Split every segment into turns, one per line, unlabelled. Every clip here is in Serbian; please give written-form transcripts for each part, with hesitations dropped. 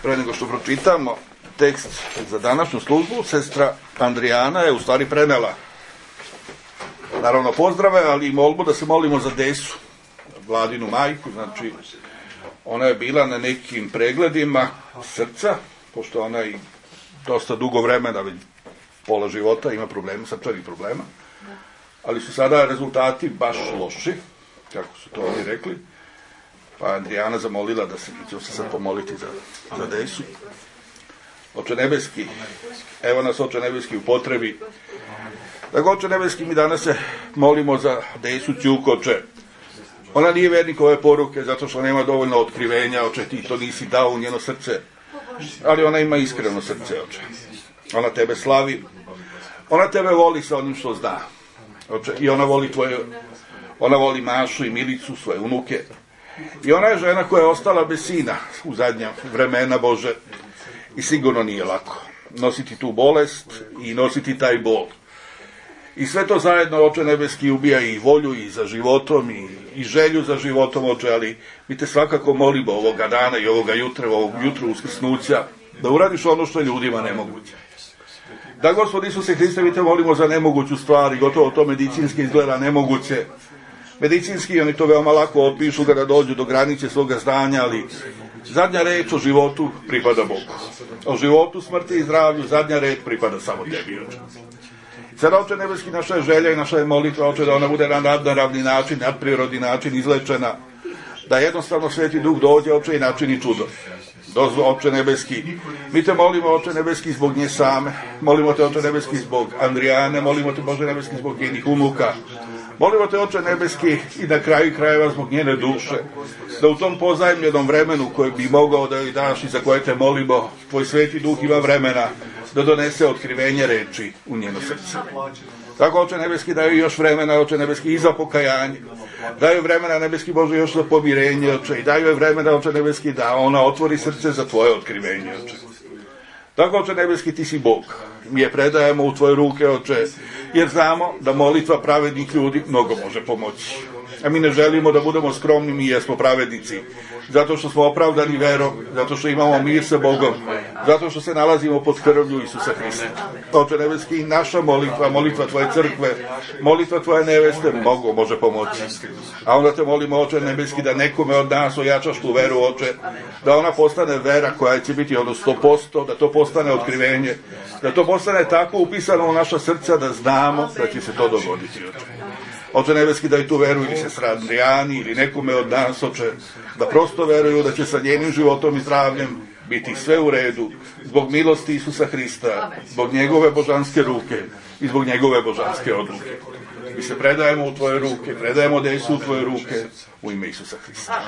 Pre nego što pročitamo tekst za današnju službu, sestra Andrijana je u stvari prenela naravno pozdrave, ali i molbu da se molimo za Desu, Vladinu majku. Znači, ona je bila na nekim pregledima srca, pošto ona i dosta dugo vremena, pola života ima problema, srčanih problema, ali su sada rezultati baš loši, kako su to oni rekli. Pa Andrijana zamolila da ću se sad pomoliti za Desu. Oče nebeski, evo nas Oče nebeski u potrebi. Dakle, Oče nebeski, mi danas se molimo za Desu Ćuk, Oče. Ona nije vernik ove poruke zato što nema dovoljno otkrivenja, Oče, ti to nisi dao u njeno srce, ali ona ima iskreno srce, Oče. Ona tebe slavi, ona tebe voli sa onim što zna, Oče, i ona voli Mašu i Milicu, svoje unuke. I ona je žena koja je ostala bez sina u zadnja vremena, Bože, i sigurno nije lako nositi tu bolest i nositi taj bol. I sve to zajedno, Oče nebeski, ubija i volju i za životom i želju za životom, Oče, ali mi te svakako molimo ovoga dana i ovoga jutra, ovog jutru uskrsnuća, da uradiš ono što je ljudima nemoguće. Da, Gospod Isuse Hriste, mi te molimo za nemoguću stvar i gotovo to medicinski izgleda nemoguće. Medicinski oni to veoma lako opišu kada dođu do granice svoga znanja, ali zadnja reč o životu pripada Bogu. O životu, smrti i zdravlju zadnja reč pripada samo tebi, Oče. Sada, Oče nebeski, naša je želja i naša je molitva, Oče, da ona bude na nadnaravni način, nadprirodni način izlečena, da jednostavno Sveti Duh dođe, Oče, i načini čudo. Oče nebeski, mi te molimo, Oče nebeski, zbog nje same, molimo te, Oče nebeski, zbog Andrijane, molimo te, Bože nebeski, zbog njenih unuka, molimo te, Oče nebeski, i na kraju krajeva zbog njene duše, da u tom pozajemljenom vremenu koje bi mogao da joj daš i za koje te molimo, tvoj Sveti Duh ima vremena da donese otkrivenje reči u njeno srce. Tako, Oče nebeski, daju još vremena, Oče nebeski, i za pokajanje. Daju vremena, nebeski Bože, još za pomirenje, Oče. I daju je vremena, Oče nebeski, da ona otvori srce za tvoje otkrivenje, Oče. Tako, Oče nebeski, ti si Bog. Mi je predajemo u tvoje ruke, Oče, jer znamo da molitva pravednih ljudi mnogo može pomoći. A mi ne želimo da budemo skromni, mi jesmo pravednici. Zato što smo opravdani verom, zato što imamo mir sa Bogom, zato što se nalazimo pod krvlju Isusa Hrista. Oče nebeski, naša molitva, molitva tvoje crkve, molitva tvoje neveste mnogo može pomoći. A onda te molimo, Oče nebeski, da nekome od nas ojačaš tu veru, Oče, da ona postane vera koja će biti ono 100%, da to postane otkrivenje, da to postane tako upisano u naša srca da znamo da će se to dogoditi, Oče. Oče nebeski, da i tu veruju ili sestra Andrijani ili nekome od nas, Oče, da prosto veruju da će sa njenim životom i zdravljem biti sve u redu, zbog milosti Isusa Hrista, zbog njegove božanske ruke i zbog njegove božanske odluke. Mi se predajemo u tvoje ruke, predajemo Desu u tvoje ruke, u ime Isusa Hrista.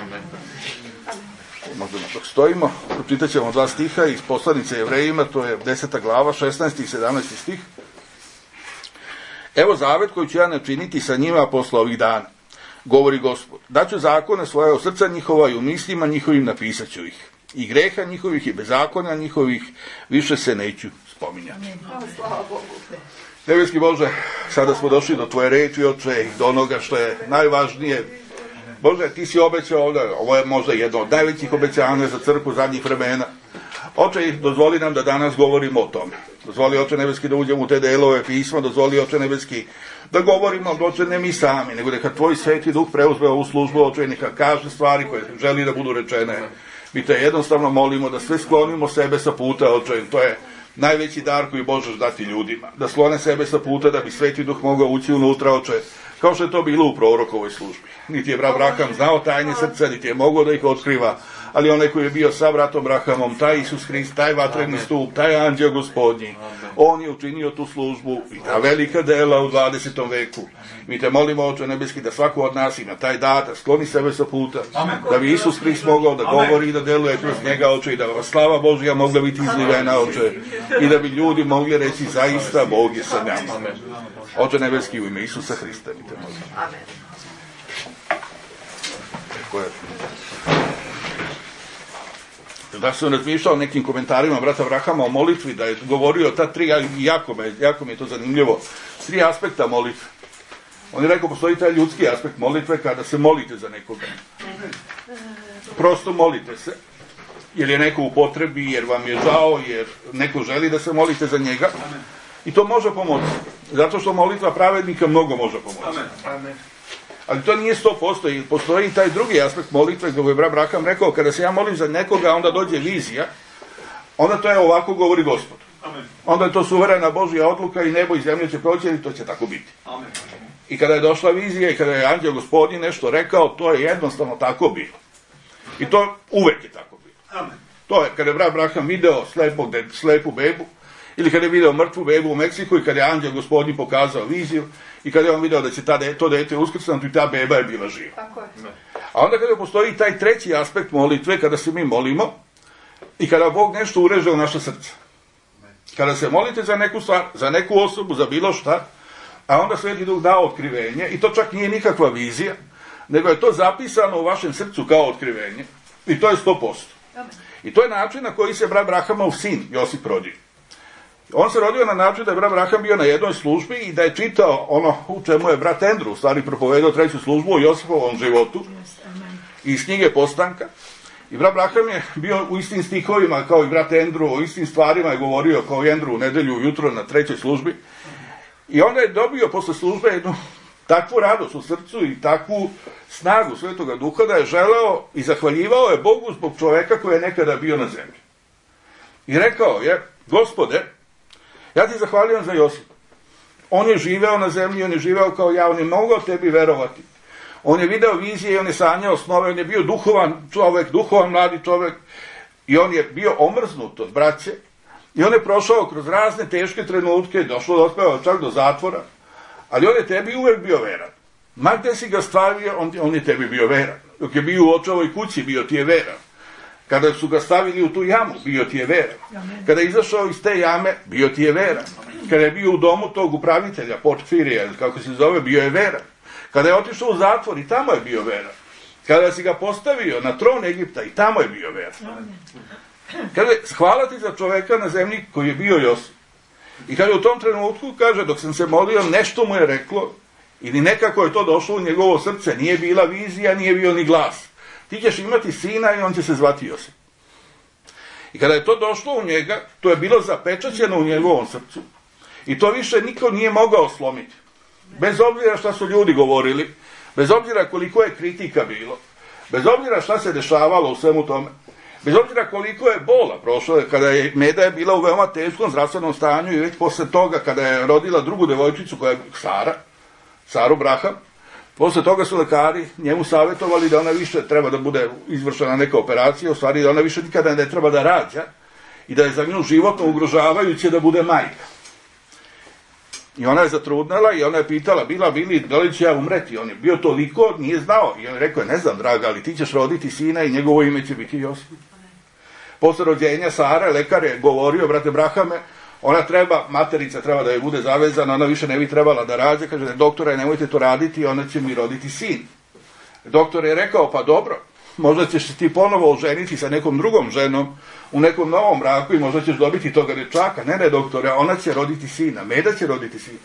Možda dok stojimo, pročitat ćemo 2 stiha iz poslanice Jevrejima, to je 10. glava, 16. i 17. stih. Evo zavet koji ću ja načiniti sa njima posle ovih dana, govori Gospod. Daću zakone svoje u srca njihova i u mislima njihovim napisat ću ih. I greha njihovih i bezakonja njihovih više se neću spominjati. Nebeski Bože, sada smo došli do tvoje reči, Oče, do onoga što je najvažnije. Bože, ti si obećao, ovo je možda jedno od najvećih obećanja za crkvu zadnjih vremena. Oče, dozvoli nam da danas govorimo o tome. Dozvoli, Oče nebeski, da uđemo u te delove pisma, dozvoli, Oče nebeski, da govorimo, Oče, ne mi sami, nego neka tvoj Sveti Duh preuzme ovu službu, Oče, neka kaže stvari koje želi da budu rečene. Mi te jednostavno molimo da sve sklonimo sebe sa puta, Oče, to je najveći dar koji možeš dati ljudima. Da sklone sebe sa puta da bi Sveti Duh mogao ući unutra, Oče, kao što je to bilo u prorokovoj službi. Niti je brat Abraham znao tajne srca, niti je mogao da ih otkriva, ali onaj koji je bio sa bratom Abrahamom, taj Isus Hrist, taj vatreni stup, taj anđeo Gospodnji, on je učinio tu službu i ta velika dela u 20. veku. Mi te molimo, Oče nebeski, da svako od nas ima taj dar, da skloni sebe sa puta, da bi Isus Hrist mogao da govori i da deluje kroz njega, Oče, i da slava Božja mogla biti izlivena, Oče, i da bi ljudi mogli reći zaista Bog je sa nama. Oče nebeski, u ime Isusa Hrista, mi te molimo. Amen. Da sam razmišljao o nekim komentarima brata Abrahama o molitvi, da je govorio ta 3, jako mi je to zanimljivo, 3 aspekta molitve. On je rekao, postoji taj ljudski aspekt molitve kada se molite za nekoga. Prosto molite se. jer je neko u potrebi, jer vam je žao, jer neko želi da se molite za njega. I to može pomoći. Zato što molitva pravednika mnogo može pomoći. Ali to nije 100%. Postoji i taj drugi aspekt molitve, kako je brat Braham rekao, kada se ja molim za nekoga, onda dođe vizija, onda to je ovako govori Gospod. Onda je to suverena Božja odluka i nebo i zemlje će proći i to će tako biti. I kada je došla vizija i kada je anđel Gospodin nešto rekao, to je jednostavno tako bilo. I to uvek je tako bilo. To je kada je brat Braham video slepu bebu, ili kada je video mrtvu bebu u Meksiku i kada je anđel Gospodin pokazao viziju i kada je on video da će to dete uskrsnuti i ta beba je bila živa. A onda kada postoji taj treći aspekt molitve, kada se mi molimo i kada Bog nešto ureže u naše srce. Kada se molite za neku stvar, za neku osobu, za bilo šta, a onda Sveti Duh da otkrivenje, i to čak nije nikakva vizija, nego je to zapisano u vašem srcu kao otkrivenje, i to je 100%. I to je način na koji se brat Brahamov sin Josip rodio. On se rodio na način da je brat Braham bio na jednoj službi i da je čitao ono u čemu je brat Andrew u stvari propovedao treću službu o Josipovom životu iz knjige Postanka. I brat Braham je bio u istim stihovima kao i brat Andrew, o istim stvarima je govorio kao i Andrew u nedelju ujutro na trećoj službi. I onda je dobio posle službe jednu takvu radost u srcu i takvu snagu Svetoga Duha da je želeo i zahvaljivao je Bogu zbog čoveka koji je nekada bio na zemlji. I rekao je, Gospode, ja ti zahvaljujem za Josipa. On je živeo na zemlji, on je živeo kao ja, on je mogao tebi verovati. On je video vizije i on je sanjao snove, on je bio duhovan čovek, duhovan mladi čovek i on je bio omrznut od braće i on je prošao kroz razne teške trenutke, došlo do ospeva čak do zatvora, ali on je tebi uvek bio veran. Ma gde si ga stavio, on je tebi bio veran. Dok je bio u očevoj kući, bio ti je veran. Kada su ga stavili u tu jamu, bio ti je veran. Kada je izašao iz te jame, bio ti je veran. Kada je bio u domu tog upravitelja, Portfirija, kako se zove, bio je veran. Kada je otišao u zatvor, i tamo je bio veran. Kada si ga postavio na tron Egipta, i tamo je bio veran. Kada je, hvala ti za čoveka na zemlji koji je bio Josip. I kada je u tom trenutku, kaže, dok sam se molio, nešto mu je reklo, ili nekako je to došlo u njegovo srce, nije bila vizija, nije bio ni glas. Ti ćeš imati sina i on će se zvati Josip. I kada je to došlo u njega, to je bilo zapečaćeno u njegovom srcu. I to više niko nije mogao slomiti. Bez obzira šta su ljudi govorili, bez obzira koliko je kritika bilo, bez obzira šta se dešavalo u svemu tome, bez obzira koliko je bola prošlo, kada je Meda je bila u veoma teškom zdravstvenom stanju i već posle toga, kada je rodila drugu devojčicu koja je Saru Braham, posle toga su lekari njemu savjetovali da ona više treba da bude izvršena neka operacija, u stvari da ona više nikada ne treba da rađa i da je za nju životno ugrožavajuće da bude majka. I ona je zatrudnela i ona je pitala, Bili, da li ću ja umreti? On je bio toliko, nije znao. I on je rekao, ne znam, draga, ali ti ćeš roditi sina i njegovo ime će biti Josip. Posle rođenja Sare, lekar je govorio, brate Brahame, materica treba da je bude zavezana, ona više ne bi trebala da rađa, kaže, doktore, nemojte to raditi, ona će mi roditi sin. Doktor je rekao, pa dobro, možda ćeš se ti ponovo oženiti sa nekom drugom ženom u nekom novom braku i možda ćeš dobiti toga dečaka. Ne, doktore, ona će roditi sina, Meda će roditi sina.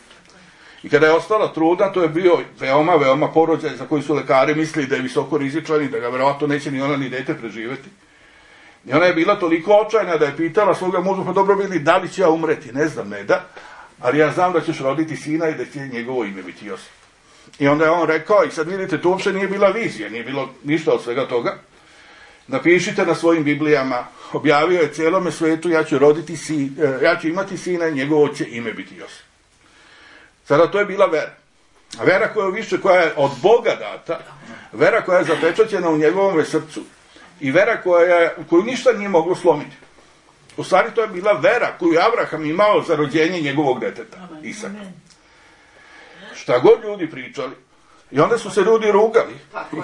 I kada je ostala trudna, to je bio veoma porođaj za koji su lekari mislili da je visoko rizičan i da ga verovatno neće ni ona ni dete preživeti. I ona je bila toliko očajna da je pitala svoga muža, pa dobro Bili, da li će ja umreti? Ne znam, Meda, ali ja znam da ćeš roditi sina i da će njegovo ime biti Josip. I onda je on rekao, i sad vidite, to uopšte nije bila vizija, nije bilo ništa od svega toga. Napišite na svojim Biblijama, objavio je cijelome svetu, ja ću imati sina i njegovo će ime biti Josip. Sada to je bila vera. A vera koja je od Boga data, vera koja je zapečaćena u njegovom srcu i vera koju ništa nije moglo slomiti. U stvari to je bila vera koju je Abraham imao za rođenje njegovog deteta, Isaka. Šta god ljudi pričali. I onda su se ljudi rugali. I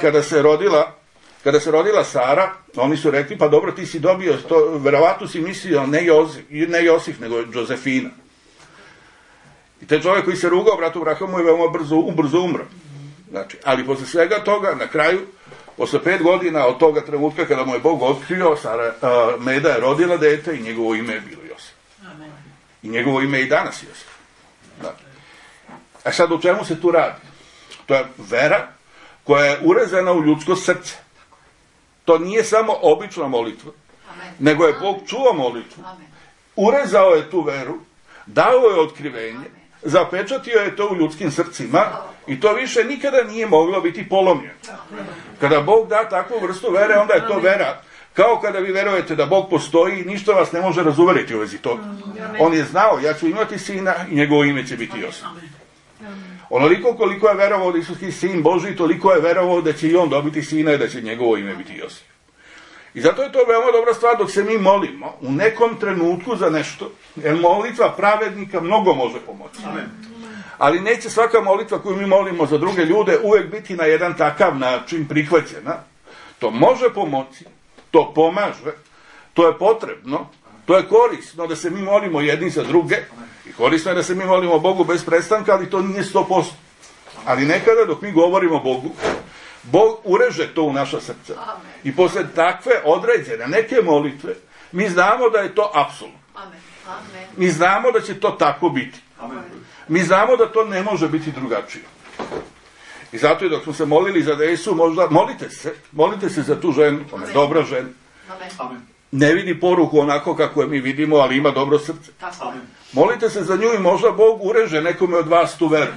kada se rodila Sara, oni su rekli, pa dobro, ti si dobio to, verovatno si mislio ne Josif, nego Josefina. I taj čovjek koji se rugao bratu Brahamu je veoma brzo umro. Znači, ali posle svega toga, na kraju, posle 5 godina od toga trenutka kada mu je Bog otkrio, Meda je rodila dete i njegovo ime je bilo Josip. I njegovo ime je i danas Josip. Znači. A sad o čemu se tu radi? To je vera koja je urezana u ljudsko srce. To nije samo obična molitva. nego je Bog čuo molitvu, urezao je tu veru, dao je otkrivenje, zapečatio je to u ljudskim srcima i to više nikada nije moglo biti polomljeno. Kada Bog da takvu vrstu vere, onda je to vera. Kao kada vi verujete da Bog postoji i ništa vas ne može razuveriti u vezi toga. On je znao, ja ću imati sina i njegovo ime će biti Josip. Onoliko koliko je verovao da Isuski sin Božji, toliko je verovao da će i on dobiti sina i da će njegovo ime biti Josip. I zato je to veoma dobra stvar dok se mi molimo u nekom trenutku za nešto, jer molitva pravednika mnogo može pomoći. Ali neće svaka molitva koju mi molimo za druge ljude uvek biti na jedan takav način prihvaćena. To može pomoći, to pomaže, to je potrebno, to je korisno da se mi molimo jedni za druge i korisno je da se mi molimo Bogu bez prestanka, ali to nije 100%. Ali nekada dok mi govorimo Bogu, Bog ureže to u naša srca. I posle takve određene neke molitve, mi znamo da je to apsolutno. Mi znamo da će to tako biti. Mi znamo da to ne može biti drugačije. I zato je dok smo se molili za Desu, možda molite se za tu ženu, ona je dobra žena. Ne vidi poruku onako kako je mi vidimo, ali ima dobro srce. Molite se za nju i možda Bog ureže nekome od vas tu veru.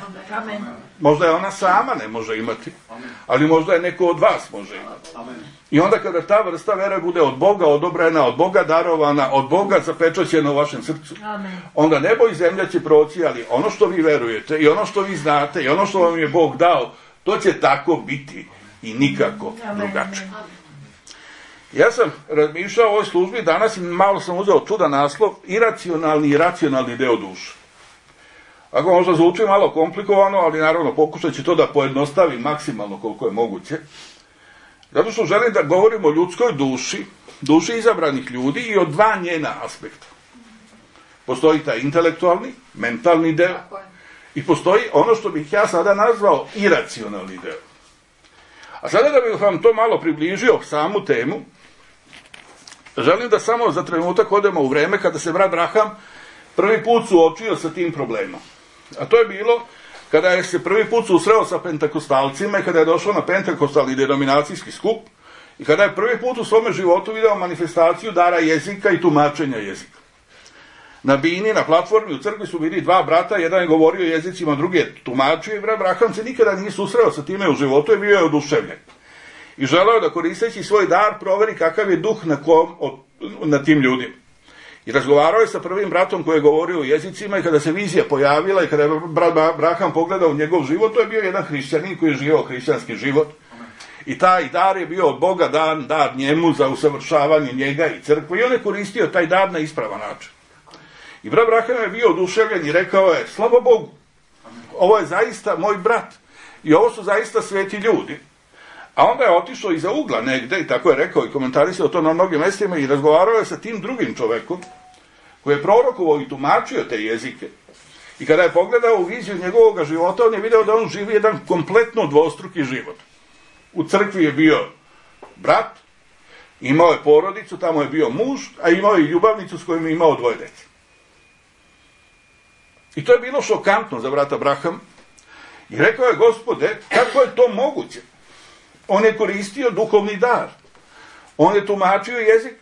Možda je ona sama ne može imati, ali možda je neko od vas može imati. I onda kada ta vrsta vere bude od Boga odobrena, od Boga darovana, od Boga zapečaćena u vašem srcu, onda nebo i zemlja će proći, ali ono što vi verujete i ono što vi znate i ono što vam je Bog dao, to će tako biti i nikako drugačije. Ja sam razmišljao o ovoj službi danas i malo sam uzeo čudan naslov, iracionalni i racionalni deo duše. Ako možda zvuči malo komplikovano, ali naravno pokušat ću to da pojednostavim maksimalno koliko je moguće. Zato što želim da govorim o ljudskoj duši, duši izabranih ljudi i o dva njena aspekta. Postoji taj intelektualni, mentalni deo i postoji ono što bih ja sada nazvao iracionalni deo. A sada da bih vam to malo približio samu temu, želim da samo za trenutak odemo u vreme kada se brat Braham prvi put suočio sa tim problemom. A to je bilo kada je se prvi put susreo sa pentakostalcima i kada je došao na pentakostalni denominacijski skup i kada je prvi put u svome životu video manifestaciju dara jezika i tumačenja jezika. Na bini, na platformi u crkvi su bili dva brata, jedan je govorio jezicima, drugi je tumačio i brat Braham se nikada nije susreo sa time u životu i bio je oduševljen. I želeo da koristeći svoj dar proveri kakav je duh na tim ljudima. I razgovarao je sa prvim bratom koji je govorio o jezicima i kada se vizija pojavila i kada je brat Braham pogledao u njegov život, to je bio jedan hrišćanin koji je živio hrišćanski život. I taj dar je bio od Boga dan, dar njemu za usavršavanje njega i crkve i on je koristio taj dar na ispravan način. I brat Braham je bio oduševljen i rekao je, slava Bogu, ovo je zaista moj brat i ovo su zaista sveti ljudi. A onda je otišao iza ugla negde i tako je rekao i komentarisao to na mnogim mestima i razgovarao je sa tim drugim čovekom koji je prorokovao i tumačio te jezike. I kada je pogledao u viziju njegovog života, on je video da on živi jedan kompletno dvostruki život. U crkvi je bio brat, imao je porodicu, tamo je bio muž, a imao je i ljubavnicu s kojom je imao 2 dece. I to je bilo šokantno za brata Braham. I rekao je, Gospode, kako je to moguće? On je koristio duhovni dar. On je tumačio jezik.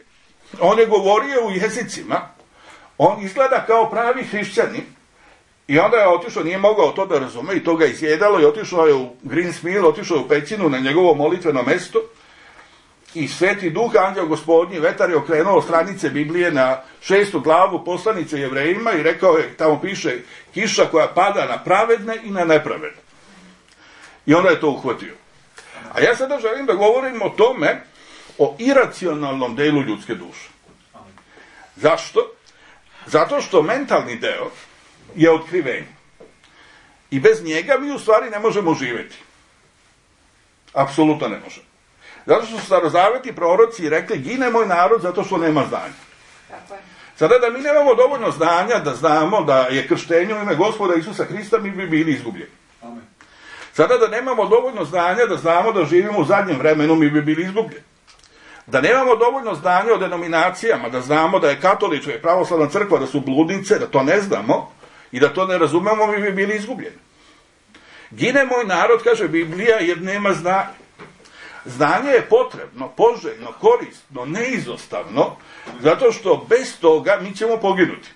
On je govorio u jezicima. On izgleda kao pravi hrišćanin. I onda je otišao, nije mogao to da razume i to ga izjedalo i otišao je u Greensmill, otišao je u pećinu na njegovo molitveno mesto i Sveti Duh, anđeo Gospodnji, vetar je okrenuo stranice Biblije na 6. glavu poslanice Jevrejima i rekao je, tamo piše, kiša koja pada na pravedne i na nepravedne. I onda je to uhvatio. A ja sada želim da govorim o tome, o iracionalnom delu ljudske duše. Zašto? Zato što mentalni deo je otkrivenje. I bez njega mi u stvari ne možemo živjeti. Apsolutno ne možemo. Zato što su starozavetni proroci rekli, gine moj narod zato što nema znanja. Sada da mi nemamo dovoljno znanja da znamo da je krštenje u ime Gospoda Isusa Hrista, mi bi bili izgubljeni. Sada da nemamo dovoljno znanja da znamo da živimo u zadnjem vremenu, mi bi bili izgubljeni. Da nemamo dovoljno znanja o denominacijama, da znamo da je katolička i pravoslavna crkva, da su bludnice, da to ne znamo i da to ne razumemo, mi bi bili izgubljeni. Gine moj narod, kaže Biblija, jer nema znanja. Znanje je potrebno, poželjno, korisno, neizostavno, zato što bez toga mi ćemo poginuti.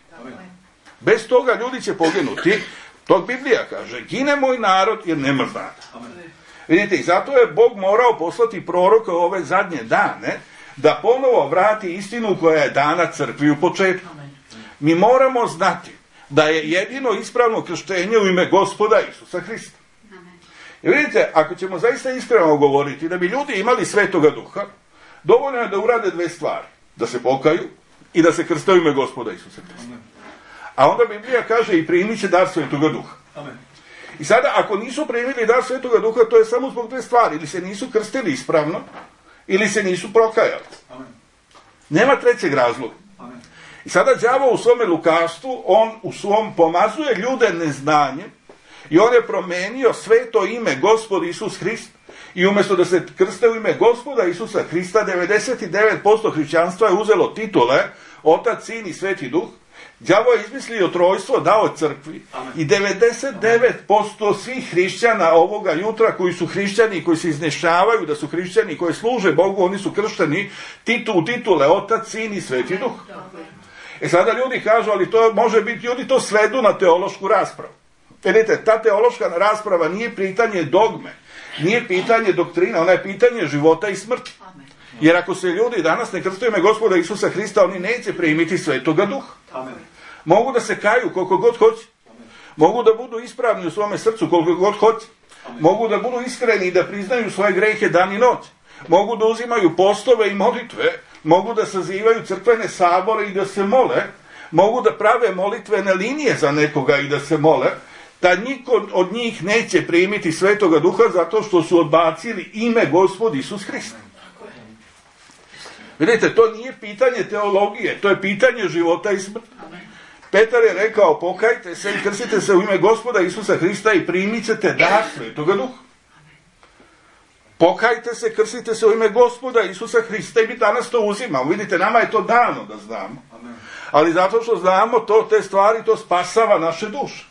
Bez toga ljudi će poginuti. To Biblija kaže, gine moj narod jer nema znanja. Vidite, i zato je Bog morao poslati proroka u ove zadnje dane, da ponovo vrati istinu koja je dana crkvi u početku. Mi moramo znati da je jedino ispravno krštenje u ime Gospoda Isusa Hrista. I vidite, ako ćemo zaista iskreno govoriti, da bi ljudi imali Svetoga Duha, dovoljno je da urade dve stvari. Da se pokaju i da se krste u ime Gospoda Isusa Hrista. A onda Biblija kaže i primit će dar Svetoga Duha. I sada, ako nisu primili dar Svetoga Duha, to je samo zbog dve stvari. Ili se nisu krstili ispravno, ili se nisu prokajali. Nema trećeg razloga. I sada đavo u svome lukavstvu, on u svom pomazuje ljude neznanjem i on je promenio sveto ime Gospod Isus Hrist i umjesto da se krste u ime Gospoda Isusa Hrista, 99% hrišćanstva je uzelo titule Otac, Sin i Sveti Duh. Đavo je izmislio trojstvo, dao crkvi. I 99% svih hrišćana ovoga jutra koji su hrišćani, koji se iznešavaju da su hrišćani, koji služe Bogu, oni su kršteni u titule Otac, Sin i Sveti Duh. E sada ljudi kažu, ali to može biti, ljudi to svedu na teološku raspravu. Vidite, ta teološka rasprava nije pitanje dogme, nije pitanje doktrina, ona je pitanje života i smrti. Jer ako se ljudi danas ne krste u ime Gospoda Isusa Hrista, oni neće primiti Svetoga Duha. Mogu da se kaju koliko god hoće. Mogu da budu ispravni u svome srcu koliko god hoće. Mogu da budu iskreni i da priznaju svoje grehe dan i noć. Mogu da uzimaju postove i molitve. Mogu da sazivaju crkvene sabore i da se mole. Mogu da prave molitvene linije za nekoga i da se mole. Da niko od njih neće primiti Svetoga Duha zato što su odbacili ime Gospod Isus Hrist. Vidite, to nije pitanje teologije, to je pitanje života i smrti. Petar je rekao, pokajte se i krstite se u ime Gospoda Isusa Hrista i primit ćete dar Svetoga Duha. Pokajte se, krstite se u ime Gospoda Isusa Hrista i mi danas to uzimamo. Vidite, nama je to dano da znamo. Ali zato što znamo te stvari, to spasava naše duše.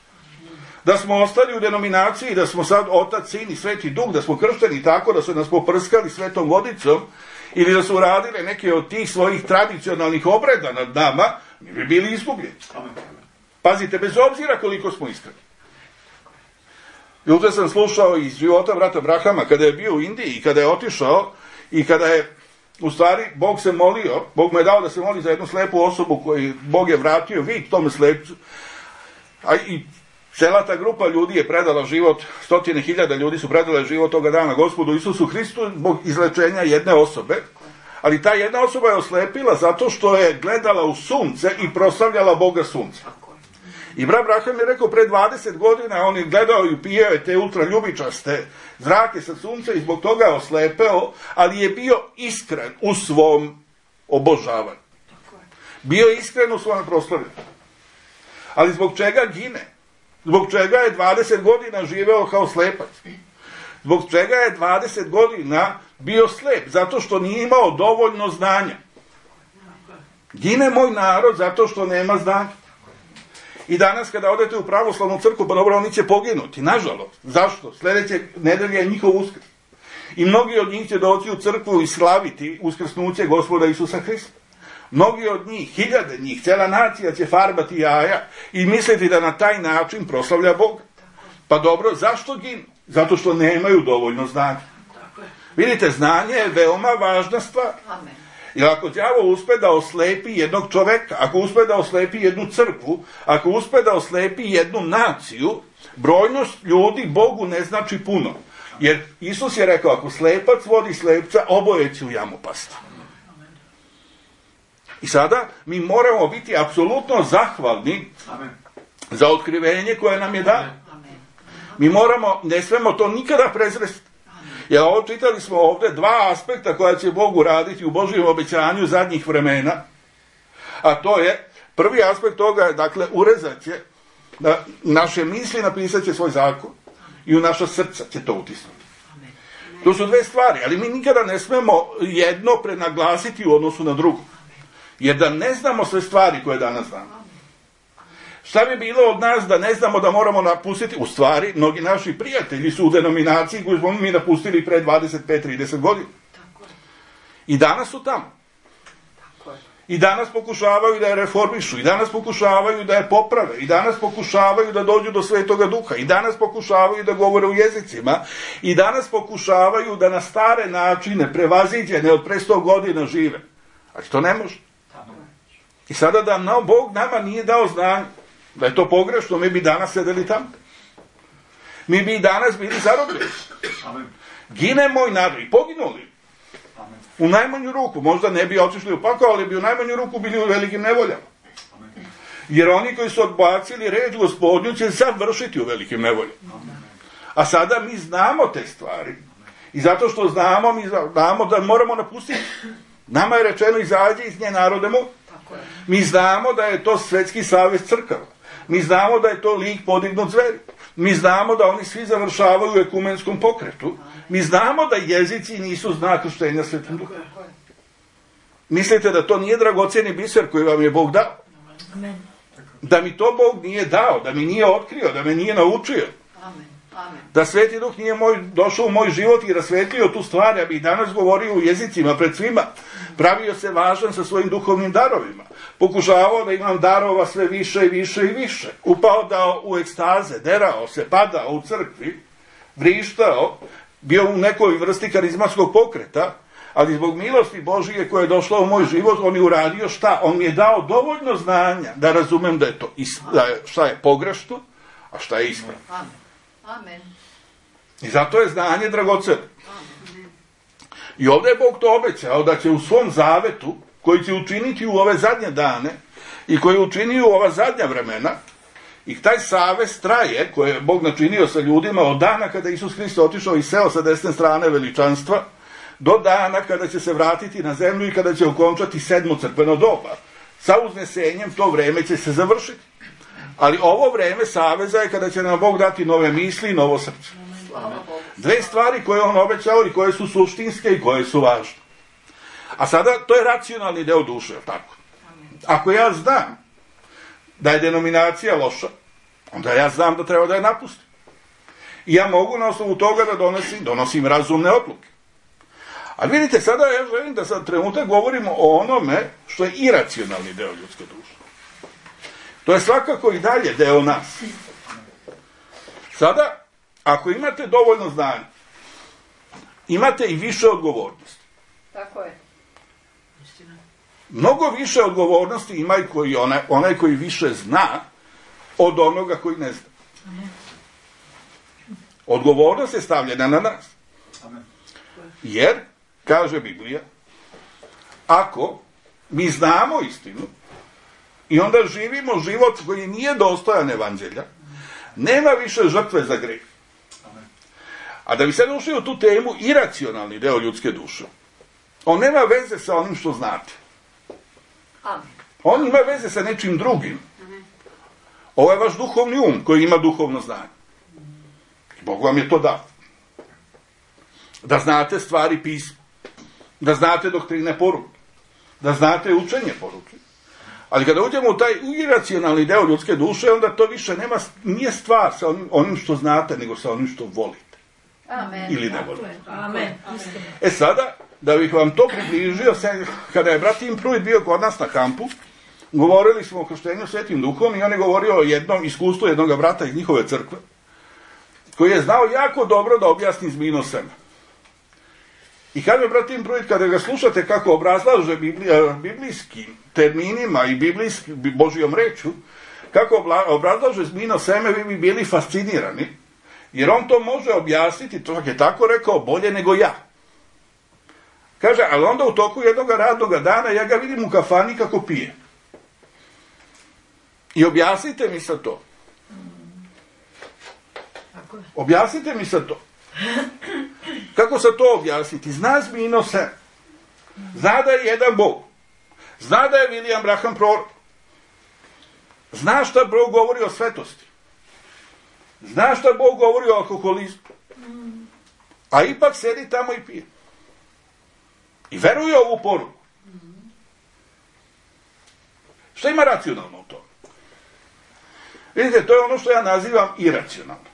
Da smo ostali u denominaciji, da smo sad Otac, Sin i Sveti Duh, da smo kršteni tako, da su nas poprskali svetom vodicom, ili da su uradile neke od tih svojih tradicionalnih obreda nad nama, mi bi bili izgubljeni. Pazite, bez obzira koliko smo iskreni. Juče sam slušao iz života brata Brahama, kada je bio u Indiji i kada je otišao i kada je, u stvari, Bog se molio, Bog mu je dao da se moli za jednu slepu osobu koju Bog je vratio vid tome slepcu, a i cela ta grupa ljudi je predala život, 100.000 ljudi su predale život toga dana Gospodu Isusu Hristu zbog izlečenja jedne osobe, ali ta jedna osoba je oslepila zato što je gledala u sunce i proslavljala Boga sunca. I brat Braham je rekao, pre 20 godina on je gledao i upijao je te ultraljubičaste zrake sa sunca i zbog toga je oslepeo, ali je bio iskren u svom obožavanju. Bio je iskren u svom proslavljanju. Ali zbog čega gine? Zbog čega je 20 godina živeo kao slepac? Zbog čega je 20 godina bio slep? Zato što nije imao dovoljno znanja. Gine moj narod zato što nema znanja. I danas kada odete u pravoslavnu crkvu, pa dobro, oni će poginuti, nažalost. Zašto? Sljedeće nedelje je njihov uskrs. I mnogi od njih će doći u crkvu i slaviti uskrsnuće Gospoda Isusa Hrista. Mnogi od njih, hiljade njih, cijela nacija će farbati jaja i misliti da na taj način proslavlja Boga. Pa dobro, zašto ginu? Zato što nemaju dovoljno znanja. Vidite, znanje je veoma važna stvar. Jer ako đavo uspe da oslepi jednog čoveka, ako uspe da oslepi jednu crkvu, ako uspe da oslepi jednu naciju, brojnost ljudi Bogu ne znači puno. Jer Isus je rekao, ako slepac vodi slepca, oboje će u jamu pasti. I sada mi moramo biti apsolutno zahvalni za otkrivenje koje nam je dano. Mi moramo, ne smemo to nikada prezresti. Jer čitali smo ovdje dva aspekta koja će Bog uraditi u Božjem obećanju zadnjih vremena. A to je, prvi aspekt toga je, dakle, urezat će naše misli, napisat će svoj zakon i u naša srca će to utisnuti. To su dve stvari, ali mi nikada ne smemo jedno prenaglasiti u odnosu na drugo. Jer da ne znamo sve stvari koje danas znamo. Šta bi bilo od nas da ne znamo da moramo napustiti? U stvari, mnogi naši prijatelji su u denominaciji koju smo mi napustili pre 25-30 godina. I danas su tamo. I danas pokušavaju da je reformišu, i danas pokušavaju da je poprave, i danas pokušavaju da dođu do Svetoga Duha, i danas pokušavaju da govore u jezicima, i danas pokušavaju da na stare načine prevaziđene od pre 100 godina žive. Ali to ne može. I sada da Bog nama nije dao znanje, da je to pogrešno, mi bi danas sedeli tamo. Mi bi i danas bili zarobljeni. Gine moj narod i poginuli. U najmanju ruku, možda ne bi otišli u pakao, ali bi u najmanju ruku bili u velikim nevoljama. Jer oni koji su odbacili reč Gospodnju će završiti u velikim nevoljama. A sada mi znamo te stvari. I zato što znamo, mi znamo da moramo napustiti. Nama je rečeno izađi iz nje narode moj. Mi znamo da je to Svetski savez crkava. Mi znamo da je to lik podignut zveri. Mi znamo da oni svi završavaju u ekumenskom pokretu. Mi znamo da jezici nisu znak krštenja Svetim Duhom. Mislite da to nije dragocjeni biser koji vam je Bog dao? Da mi to Bog nije dao, da mi nije otkrio, da me nije naučio. Da Sveti Duh nije došao u moj život i rasvetlio tu stvar, ja bih danas govorio u jezicima pred svima. Pravio se važan sa svojim duhovnim darovima. Pokušavao da imam darova sve više i više i više. Upao da u ekstaze, derao se, padao u crkvi, vrištao, bio u nekoj vrsti karizmatskog pokreta, ali zbog milosti Božije koja je došla u moj život, on je uradio šta? On mi je dao dovoljno znanja da razumem da je to šta je pogrešno, a šta je ispravno.
Amen.
I zato je znanje dragoceno. I ovdje je Bog to obećao da će u svom zavetu, koji će učiniti u ove zadnje dane i koji je učinio u ova zadnja vremena, i taj savez traje, koji je Bog načinio sa ljudima od dana kada Isus Hrist otišao i seo sa desne strane veličanstva, do dana kada će se vratiti na zemlju i kada će okončati 7. crkveno doba. Sa uznesenjem to vreme će se završiti. Ali ovo vreme saveza je kada će nam Bog dati nove misli i novo srce. Dve stvari koje on obećao i koje su suštinske i koje su važne. A sada, to je racionalni deo duše, tako? Ako ja znam da je denominacija loša, onda ja znam da treba da je napustim. I ja mogu na osnovu toga da donosim razumne odluke. Ali vidite, sada ja želim da sad trenutak govorimo o onome što je iracionalni deo ljudske duše. To je svakako i dalje deo nas. Sada, ako imate dovoljno znanja, imate i više odgovornosti.
Tako je.
Mnogo više odgovornosti ima i onaj koji više zna od onoga koji ne zna. Odgovornost je stavljena na nas. Jer, kaže Biblija, ako mi znamo istinu i onda živimo život koji nije dostojan evanđelja, nema više žrtve za greh. A da bi sad ušli u tu temu, iracionalni deo ljudske duše, on nema veze sa onim što znate. On ima veze sa nečim drugim. Ovo je vaš duhovni um koji ima duhovno znanje. Bog vam je to dao. Da znate stvari pisma. Da znate doktrine poruke. Da znate učenje poruke. Ali kada uđemo u taj iracionalni deo ljudske duše, onda to više nije stvar sa onim što znate, nego sa onim što volite.
Amen.
Ili ne volite.
Amen.
Sada, da bih vam to približio, kada je brat Tim Pruitt bio kod nas na kampu, govorili smo o krštenju Svetim Duhom i on je govorio o jednom iskustvu jednog brata iz njihove crkve, koji je znao jako dobro da objasni zmijino seme. I kaže brat Tim Pruitt, kada ga slušate kako obrazlaže biblijskim terminima i Božijom rečju, kako obrazlaže zmijino seme, vi bi bili fascinirani, jer on to može objasniti, to je tako rekao, bolje nego ja. Kaže, ali onda u toku jednog radnog dana ja ga vidim u kafani kako pije. I objasnite mi sad to. Objasnite mi sad to. Kako sad to objasniti? Zna zmijino seme. Zna da je jedan Bog. Zna da je William Branham prorok. Zna šta Bog govori o svetosti. Zna šta Bog govori o alkoholizmu. A ipak sedi tamo i pije. I veruje ovu poruku. Šta ima racionalno u tome? Vidite, to je ono što ja nazivam iracionalno.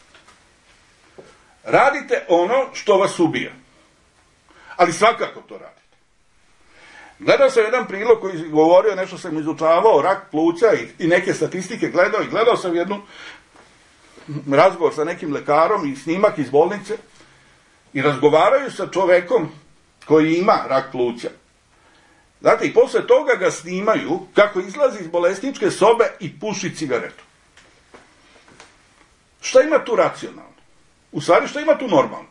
Radite ono što vas ubija. Ali svakako to radite. Gledao sam jedan prilog koji govorio, nešto sam izučavao, rak pluća i neke statistike gledao, i gledao sam jednu razgovor sa nekim lekarom i snimak iz bolnice i razgovaraju sa čovekom koji ima rak pluća. Znate, i posle toga ga snimaju kako izlazi iz bolesničke sobe i puši cigaretu. Šta ima tu racionalno? U stvari, šta ima tu normalno?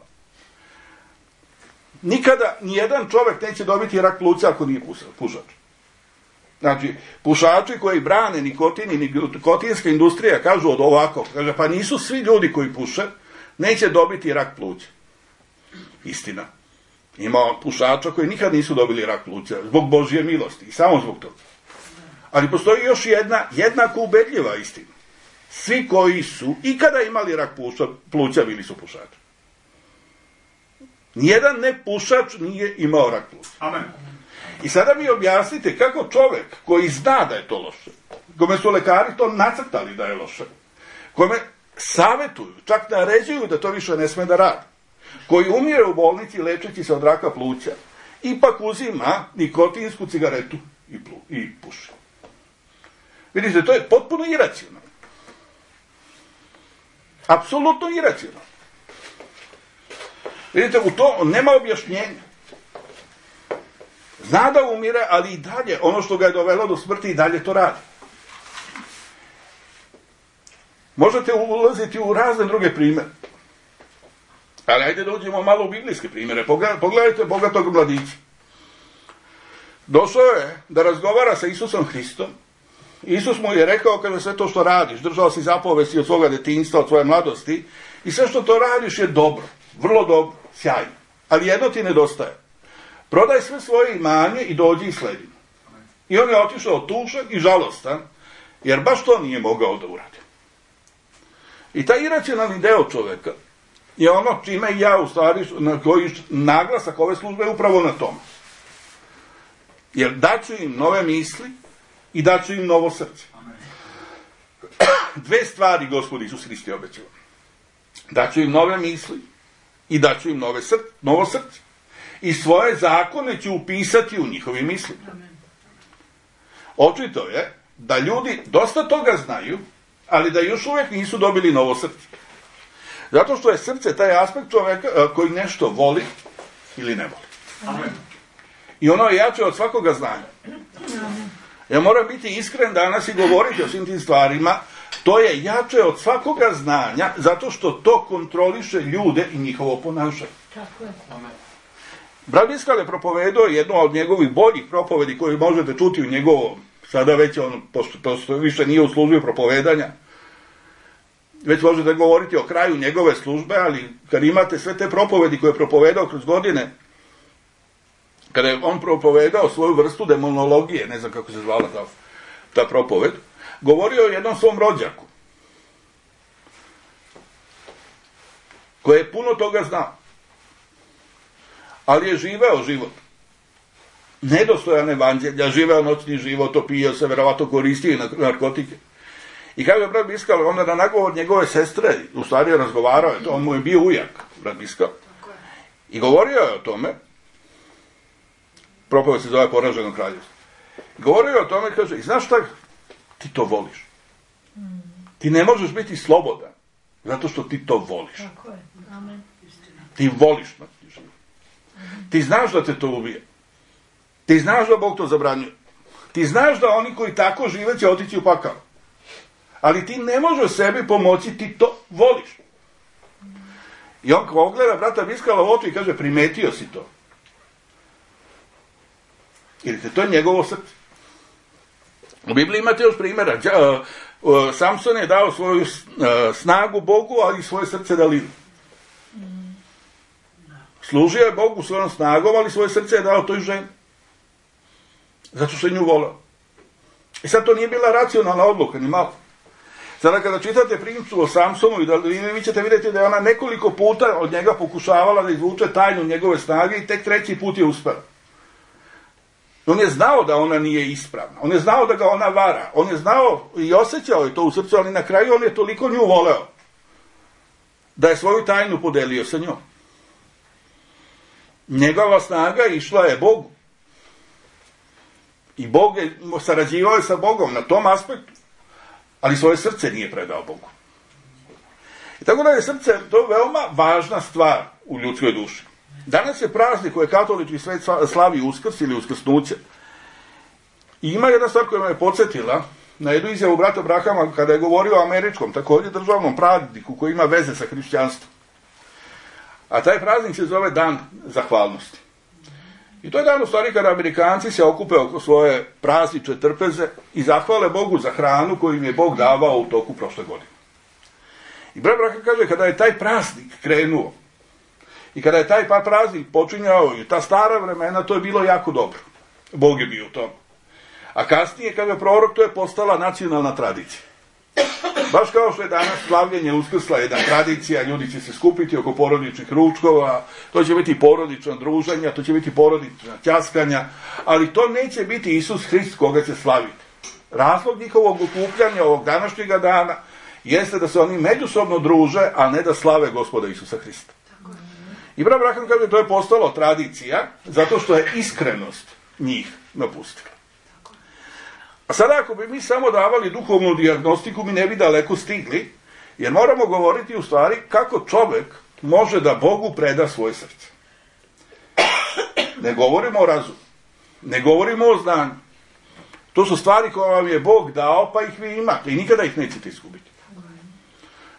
Nikada nijedan čovek neće dobiti rak pluća ako nije pušač. Znači, pušači koji brane nikotin i nikotinska industrija kažu od ovako, kaže, pa nisu svi ljudi koji puše, neće dobiti rak pluća. Istina. Ima pušača koji nikad nisu dobili rak pluća, zbog Božje milosti i samo zbog toga. Ali postoji još jedna jednako ubedljiva istina. Svi koji su ikada imali rak pluća bili su pušači. Nijedan nepušač nije imao rak pluća.
Amen.
I sada mi objasnite kako čovek koji zna da je to loše, kome su lekari to nacrtali da je loše, kome savetuju, čak naređuju da to više ne sme da radi, koji umire u bolnici lečeći se od raka pluća, ipak uzima nikotinsku cigaretu i puši. Vidite, to je potpuno iracionalno. Apsolutno iracionalno. Vidite, u to nema objašnjenja. Zna da umire, ali i dalje, ono što ga je dovelo do smrti, i dalje to radi. Možete ulaziti u razne druge primere. Ali ajde da uđemo malo u biblijske primere. Pogledajte bogatog mladića. Došao je da razgovara sa Isusom Hristom. Isus mu je rekao, kaže, sve to što radiš, držao si zapovesti od svoga detinjstva, od svoje mladosti, i sve što to radiš je dobro, vrlo dobro, sjajno. Ali jedno ti nedostaje. Prodaj sve svoje imanje i dođi i sledi me. I on je otišao tužan i žalostan, jer baš to nije mogao da uradi. I taj iracionalni deo čoveka je ono čime ja u stvari, na koji naglasak ove službe je upravo na tome. Jer daću im nove misli i daću im novo srce. Dve stvari Gospod Isus Hrist je obećao. Daću im nove misli i daću im novo srce. I svoje zakone ću upisati u njihovim mislima. Očito je da ljudi dosta toga znaju, ali da još uvijek nisu dobili novo srce. Zato što je srce taj aspekt čoveka koji nešto voli ili ne voli.
Amen.
I ono je jače od svakoga znanja. Ja moram biti iskren danas i govoriti o svim tim stvarima. To je jače od svakoga znanja, zato što to kontroliše ljude i njihovo ponašanje.
Tako je.
Amen.
Brat Biskal je propovedao jednu od njegovih boljih propovedi koju možete čuti u njegovom, sada već on, pošto više nije u službi propovedanja, već možete govoriti o kraju njegove službe, ali kad imate sve te propovedi koje je propovedao kroz godine, kada je on propovedao svoju vrstu demonologije, ne znam kako se zvala ta propoved, govorio o jednom svom rođaku, koji je puno toga znao, ali je živeo život nedostojan evanđelja, živeo noćni život, opijao se, verovatno koristio i narkotike. I kako je brat Biskal, onda na nagovor njegove sestre, u stvari je razgovarao, on mu je bio ujak, brat Biskal, i govorio je o tome, propoved se zove Poraženo kraljevstvo, govorio je o tome, kaže, i znaš šta, ti to voliš. Ti ne možeš biti slobodan, zato što ti to voliš.
Tako je. Amen.
Ti voliš noćni život. Ti znaš da te to ubije. Ti znaš da Bog to zabranjuje. Ti znaš da oni koji tako žive će otići u pakao. Ali ti ne možeš sebi pomoći, ti to voliš. I on kao ogleda brata Biskala u oči i kaže, primetio si to. Vidite, to je njegovo srce. U Bibliji imate još primjera. Samson je dao svoju snagu Bogu, ali i svoje srce Dalilu. Služio je Bogu svojom snagom, ali svoje srce je dao toj ženi. Zato što je nju volao. I sad to nije bila racionalna odluka, ni malo. Sada kada čitate priču o Samsonu i Dalili, vi ćete vidjeti da je ona nekoliko puta od njega pokušavala da izvuče tajnu njegove snage i tek treći put je uspela. On je znao da ona nije ispravna. On je znao da ga ona vara. On je znao i osjećao je to u srcu, ali na kraju on je toliko nju voleo da je svoju tajnu podelio sa njom. Njegova snaga išla je Bogu. I Bog je sarađivao je sa Bogom na tom aspektu, ali svoje srce nije predao Bogu. I tako da je srce to veoma važna stvar u ljudskoj duši. Danas je praznik koje katolički svet slavi Uskrs ili Uskrsnuće. I ima jedna stvar koja me je podsjetila na jednu izjavu brata Brahama kada je govorio o američkom, također državnom prazniku koji ima veze sa hrišćanstvom. A taj praznik se zove Dan zahvalnosti. I to je dan u stvari kada Amerikanci se okupe oko svoje praznične trpeze i zahvale Bogu za hranu koju im je Bog davao u toku prošle godine. I brat Braham kaže, kada je taj praznik krenuo i kada je taj praznik počinjao i ta stara vremena, to je bilo jako dobro. Bog je bio u tom. A kasnije, kada je prorok, to je postala nacionalna tradicija. Baš kao što je danas slavljenje Uskrsla jedna tradicija, ljudi će se skupiti oko porodičnih ručkova, to će biti porodična druženja, to će biti porodična ćaskanja, ali to neće biti Isus Hrist koga će slaviti. Razlog njihovog okupljanja ovog današnjega dana jeste da se oni međusobno druže, a ne da slave Gospoda Isusa Hrista. I brat Braham kaže, to je postalo tradicija, zato što je iskrenost njih napustila. A sada ako bi mi samo davali duhovnu dijagnostiku, mi ne bi daleko stigli, jer moramo govoriti u stvari kako čovjek može da Bogu preda svoje srce. Ne govorimo o razumu, ne govorimo o znanju. To su stvari koje vam je Bog dao, pa ih vi imate i nikada ih nećete izgubiti.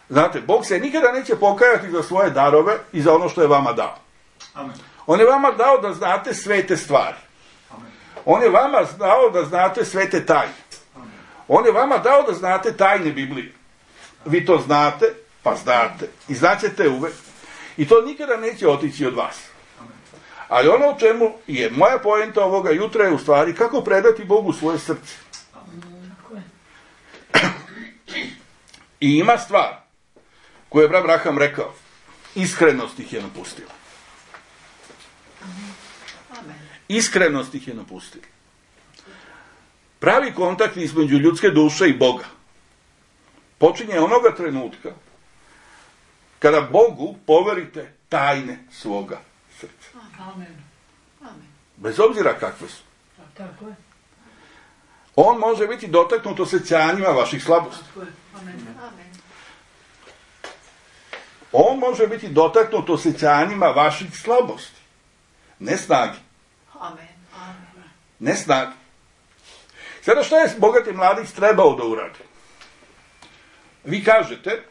Znate, Bog se nikada neće pokajati za svoje darove i za ono što je vama dao.
Amen.
On je vama dao da znate svete stvari. On je vama dao da znate svete tajne. On je vama dao da znate tajne Biblije. Vi to znate, pa znate. I znaćete uvek. I to nikada neće otići od vas. Ali ono o čemu je moja poenta ovoga jutra je u stvari kako predati Bogu svoje srce. I ima stvar koju je brat Braham rekao. Iskrenost ih je napustila. Iskrenost ih je napustila. Pravi kontakt između ljudske duše i Boga počinje onoga trenutka kada Bogu poverite tajne svoga srca.
Amen. Amen.
Bez obzira kakve su.
Tako je.
On može biti dotaknut osjećanjima vaših slabosti.
Tako je. Amen. Amen.
On može biti dotaknut osjećanjima vaših slabosti. Ne snagi.
Amen. Amen.
Ne snagi. Sada što je bogati mladić trebao da uradi? Vi kažete,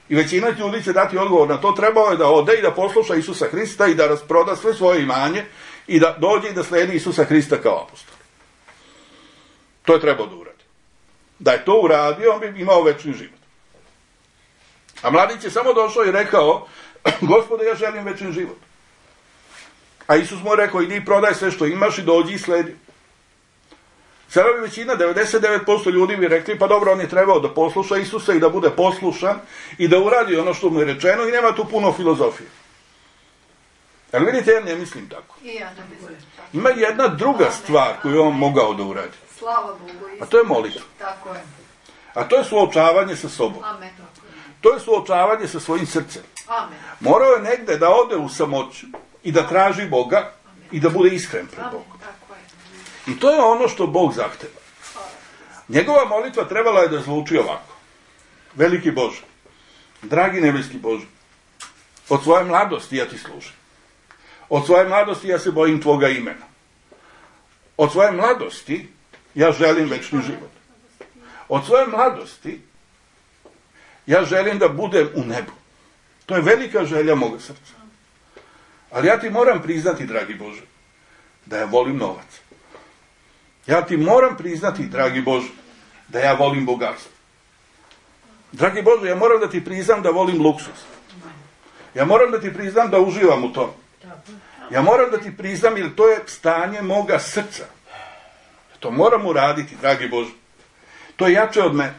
i većina ljudi će dati odgovor na to, trebao je da ode i da posluša Isusa Hrista i da rasproda sve svoje imanje i da dođe i da slijedi Isusa Hrista kao apostol. To je trebao da uradi. Da je to uradio, on bi imao večni život. A mladić je samo došao i rekao, Gospode, ja želim večni život. A Isus mu je rekao, idi prodaj sve što imaš i dođi i sledi. Sada bi većina, 99% ljudi bi rekli, pa dobro, on je trebao da posluša Isusa i da bude poslušan i da uradi ono što mu je rečeno i nema tu puno filozofije. Ali vidite, ja ne mislim tako.
I ja ne mislim tako.
Ima jedna druga stvar koju je on mogao da uradi.
Slava Bogu.
A to je molitva.
Tako je.
A to je suočavanje sa sobom.
Amen.
To je suočavanje sa svojim srcem.
Amen.
Morao je negde da ode u samoću i da traži Boga i da bude iskren pred Bogom.
Tako je.
I to je ono što Bog zahteva. Njegova molitva trebala je da zvuči ovako. Veliki Bože, dragi nebeski Bože, od svoje mladosti ja ti služim. Od svoje mladosti ja se bojim tvoga imena. Od svoje mladosti ja želim večni život. Od svoje mladosti ja želim da budem u nebu. To je velika želja moga srca. Ali ja ti moram priznati, dragi Bože, da ja volim novac. Ja ti moram priznati, dragi Bože, da ja volim bogatstvo. Dragi Bože, ja moram da ti priznam da volim luksuz. Ja moram da ti priznam da uživam u tom. Ja moram da ti priznam, jer to je stanje moga srca. To moram uraditi, dragi Bože. To je jače od mene.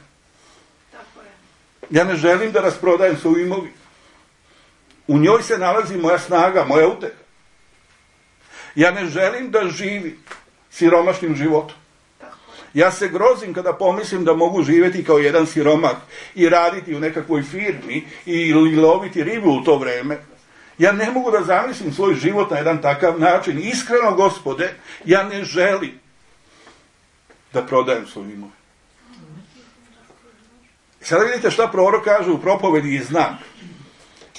Ja ne želim da rasprodajem svoju imovinu. U njoj se nalazi moja snaga, moja uteha. Ja ne želim da živim siromašnim životom. Ja se grozim kada pomislim da mogu živjeti kao jedan siromak i raditi u nekakvoj firmi i loviti ribu u to vreme. Ja ne mogu da zamislim svoj život na jedan takav način. Iskreno, Gospode, ja ne želim da prodajem svoju imovinu. Sada vidite šta prorok kaže u propovedi i znak.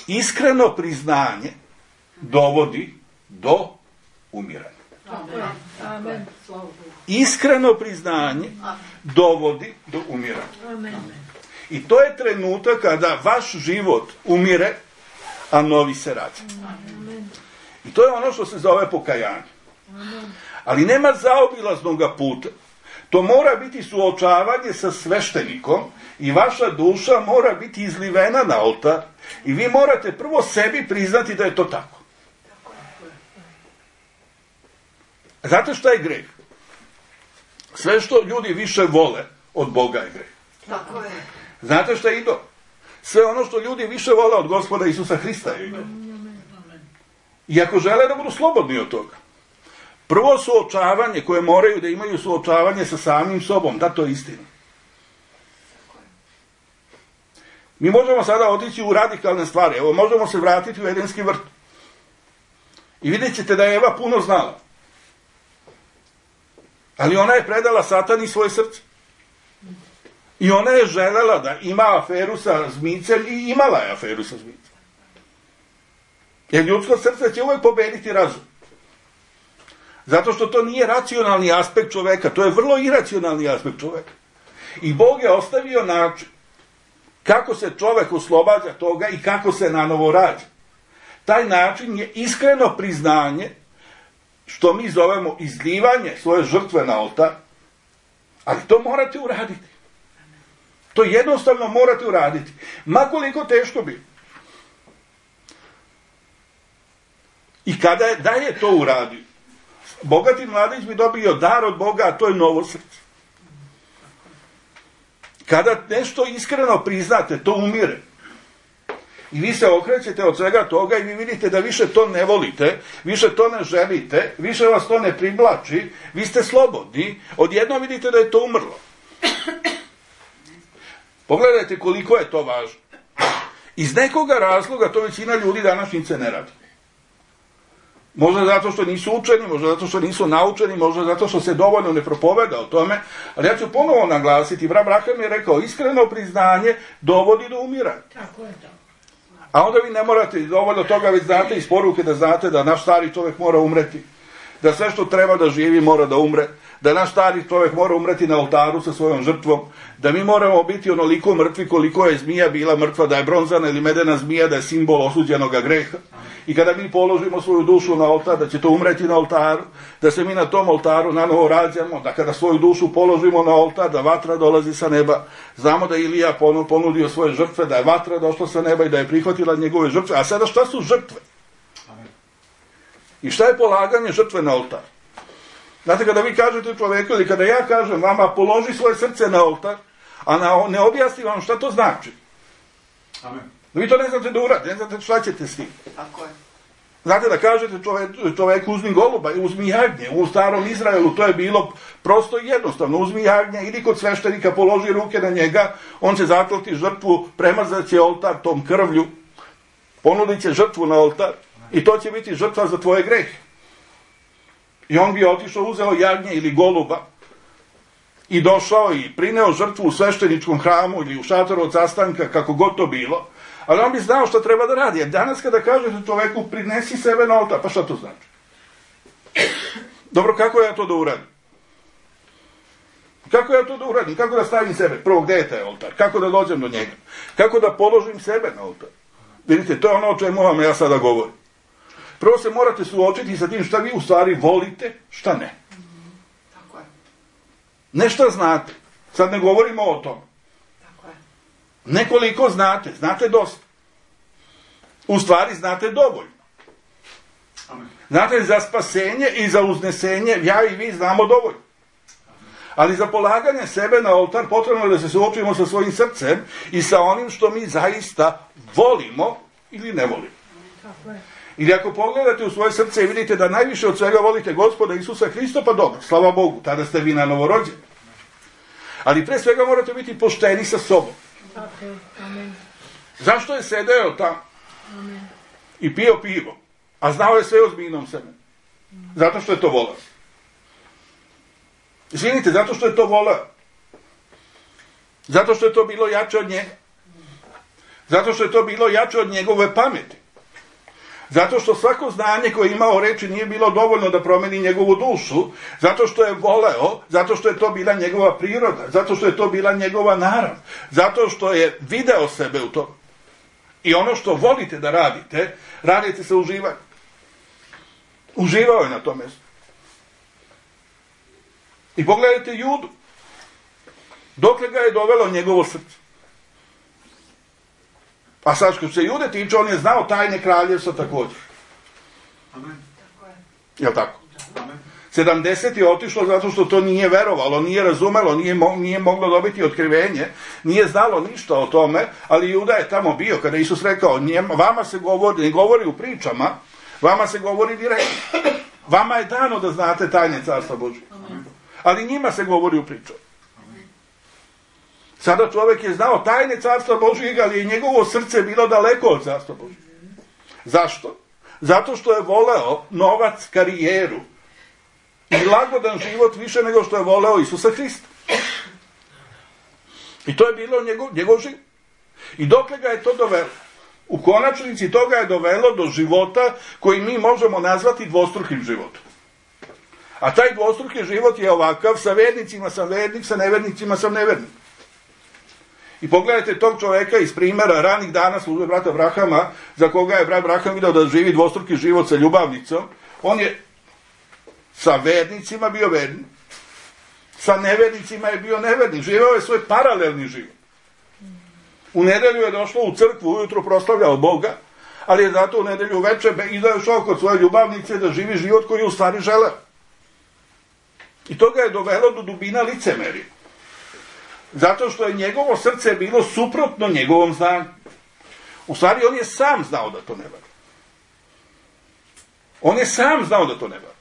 Iskreno priznanje dovodi do umiranja.
Amen.
Iskreno priznanje dovodi do umiranja. I to je trenutak kada vaš život umire, a novi se rađa. I to je ono što se zove pokajanje. Ali nema zaobilaznog puta. To mora biti suočavanje sa sveštenikom i vaša duša mora biti izlivena na oltar i vi morate prvo sebi priznati da je to tako. Znate šta je greh? Sve što ljudi više vole od Boga je greh.
Tako je.
Znate šta je idol? Sve ono što ljudi više vole od Gospoda Isusa Hrista je idol. I ako žele da budu slobodni od toga, prvo suočavanje koje moraju da imaju suočavanje sa samim sobom, da, to je istina. Mi možemo sada otići u radikalne stvari. Evo, možemo se vratiti u Edenski vrt. I vidjet ćete da je Eva puno znala. Ali ona je predala Satani svoje srce. I ona je želela da ima aferu sa zmijcem i imala je aferu sa zmijcem. Jer ljudsko srce će uvijek pobediti razum. Zato što to nije racionalni aspekt čoveka, to je vrlo iracionalni aspekt čoveka. I Bog je ostavio način kako se čovek oslobađa toga i kako se nanovo rađa. Taj način je iskreno priznanje, što mi zovemo izlivanje svoje žrtve na oltar, ali to morate uraditi. To jednostavno morate uraditi. Ma koliko teško bi. I da je to uradio, bogati mladić bi dobio dar od Boga, a to je novo srce. Kada nešto iskreno priznate, to umire. I vi se okrećete od svega toga i vi vidite da više to ne volite, više to ne želite, više vas to ne privlači, vi ste slobodni, odjednom vidite da je to umrlo. Pogledajte koliko je to važno. Iz nekoga razloga to većina ljudi današnjice ne radi. Možda zato što nisu učeni, možda zato što nisu naučeni, možda zato što se dovoljno ne propoveda o tome, ali ja ću ponovo naglasiti, brat Braham je rekao, iskreno priznanje dovodi do umiranja.
Tako je to.
A onda vi ne morate dovoljno toga, već znate iz poruke da znate da naš stari čovjek mora umreti, da sve što treba da živi mora da umre, da naš stari čovjek mora umreti na oltaru sa svojom žrtvom, da mi moramo biti onoliko mrtvi koliko je zmija bila mrtva, da je bronzana ili medena zmija, da je simbol osuđenog greha. I kada mi položimo svoju dušu na oltar, da će to umreti na oltaru, da se mi na tom oltaru nanovo rađamo, da kada svoju dušu položimo na oltar, da vatra dolazi sa neba. Znamo da je Ilija ponudio svoje žrtve, da je vatra došla sa neba i da je prihvatila njegove žrtve. A sada šta su žrtve? I šta je polaganje žrtve na oltar? Znate, kada vi kažete čoveku ili kada ja kažem vama položi svoje srce na oltar, a ne objasnim vam šta to znači.
Amen.
Vi to ne znate da uradite, ne znate šta ćete s tim.
Tako je.
Znate da kažete čoveku uzmi goluba, uzmi jagnje. U starom Izraelu to je bilo prosto i jednostavno. Uzmi jagnje, idi kod sveštenika, položi ruke na njega, on će zaklati žrtvu, premazat će oltar tom krvlju, ponudit će žrtvu na oltar i to će biti žrtva za tvoje grehe. I on bi otišao, uzeo jagnje ili goluba i došao i prineo žrtvu u svešteničkom hramu ili u šatoru od sastanka, kako god to bilo. Ali on bi znao što treba da radi. Jer danas kada kažete čoveku prinesi sebe na oltar, pa šta to znači? Dobro, kako ja to da uradim? Kako ja to da uradim? Kako da stavim sebe? Prvo, gde je taj oltar? Kako da dođem do njega? Kako da položim sebe na oltar? Vidite, to je ono o čemu vam ja sada govorim. Prvo se morate suočiti sa tim šta vi u stvari volite, šta ne.
Tako je.
Ne šta znate. Sad ne govorimo o tom.
Tako je.
Nekoliko znate, znate dosta. U stvari znate dovoljno. Znate, za spasenje i za uznesenje ja i vi znamo dovoljno. Ali za polaganje sebe na oltar potrebno je da se suočimo sa svojim srcem i sa onim što mi zaista volimo ili ne volimo.
Tako je.
Ili ako pogledate u svoje srce i vidite da najviše od svega volite Gospoda Isusa Hrista, pa dobro, slava Bogu, tada ste vi na novorođeni. Ali pre svega morate biti pošteni sa sobom. Zašto je sedeo tamo i pio pivo, a znao je sve o zmijinom semenu? Zato što je to voleo. Izvinite, zato što je to voleo. Zato što je to bilo jače od njega. Zato što je to bilo jače od njegove pameti. Zato što svako znanje koje je imao reči nije bilo dovoljno da promeni njegovu dušu, zato što je voleo, zato što je to bila njegova priroda, zato što je to bila njegova narav, zato što je video sebe u to. I ono što volite da radite, radite sa uživanjem. Uživao je na tom mjestu. I pogledajte Judu. Dokle ga je dovelo njegovo srce. A sad što se Jude tiče, on je znao tajne kraljevstva također.
Amen.
Jel' tako?
Amen.
70 je otišlo zato što to nije verovalo, nije razumelo, nije moglo dobiti otkrivenje, nije znalo ništa o tome, ali Juda je tamo bio kada Isus rekao, vama se govori, ne govori u pričama, vama se govori direktno. Vama je dano da znate tajne Carstva Božje. Ali njima se govori u pričama. Sada čovjek je znao tajne Carstva Božjega, ali je njegovo srce bilo daleko od Carstva Božjega. Zašto? Zato što je voleo novac, karijeru i lagodan život više nego što je voleo Isusa Hrista. I to je bilo njegov život. I dokle ga je to dovelo? U konačnici toga je dovelo do života koji mi možemo nazvati dvostrukim životom. A taj dvostruki život je ovakav, sa vernicima sam vernik, sa nevernicima sam nevernik. I pogledajte tog čovjeka iz primjera ranih dana službe brata Abrahama, za koga je brat Abraham video da živi dvostruki život sa ljubavnicom. On je sa vernicima bio vernik, sa nevernicima je bio nevernik, živeo je svoj paralelni život. U nedelju je došlo u crkvu, ujutro proslavljao Boga, ali je zato u nedelju uveče izašao kod svoje ljubavnice da živi život koji je u stvari želeo. I to ga je dovelo do dubina licemerja. Zato što je njegovo srce bilo suprotno njegovom znanju. U stvari, on je sam znao da to ne valja. On je sam znao da to ne valja.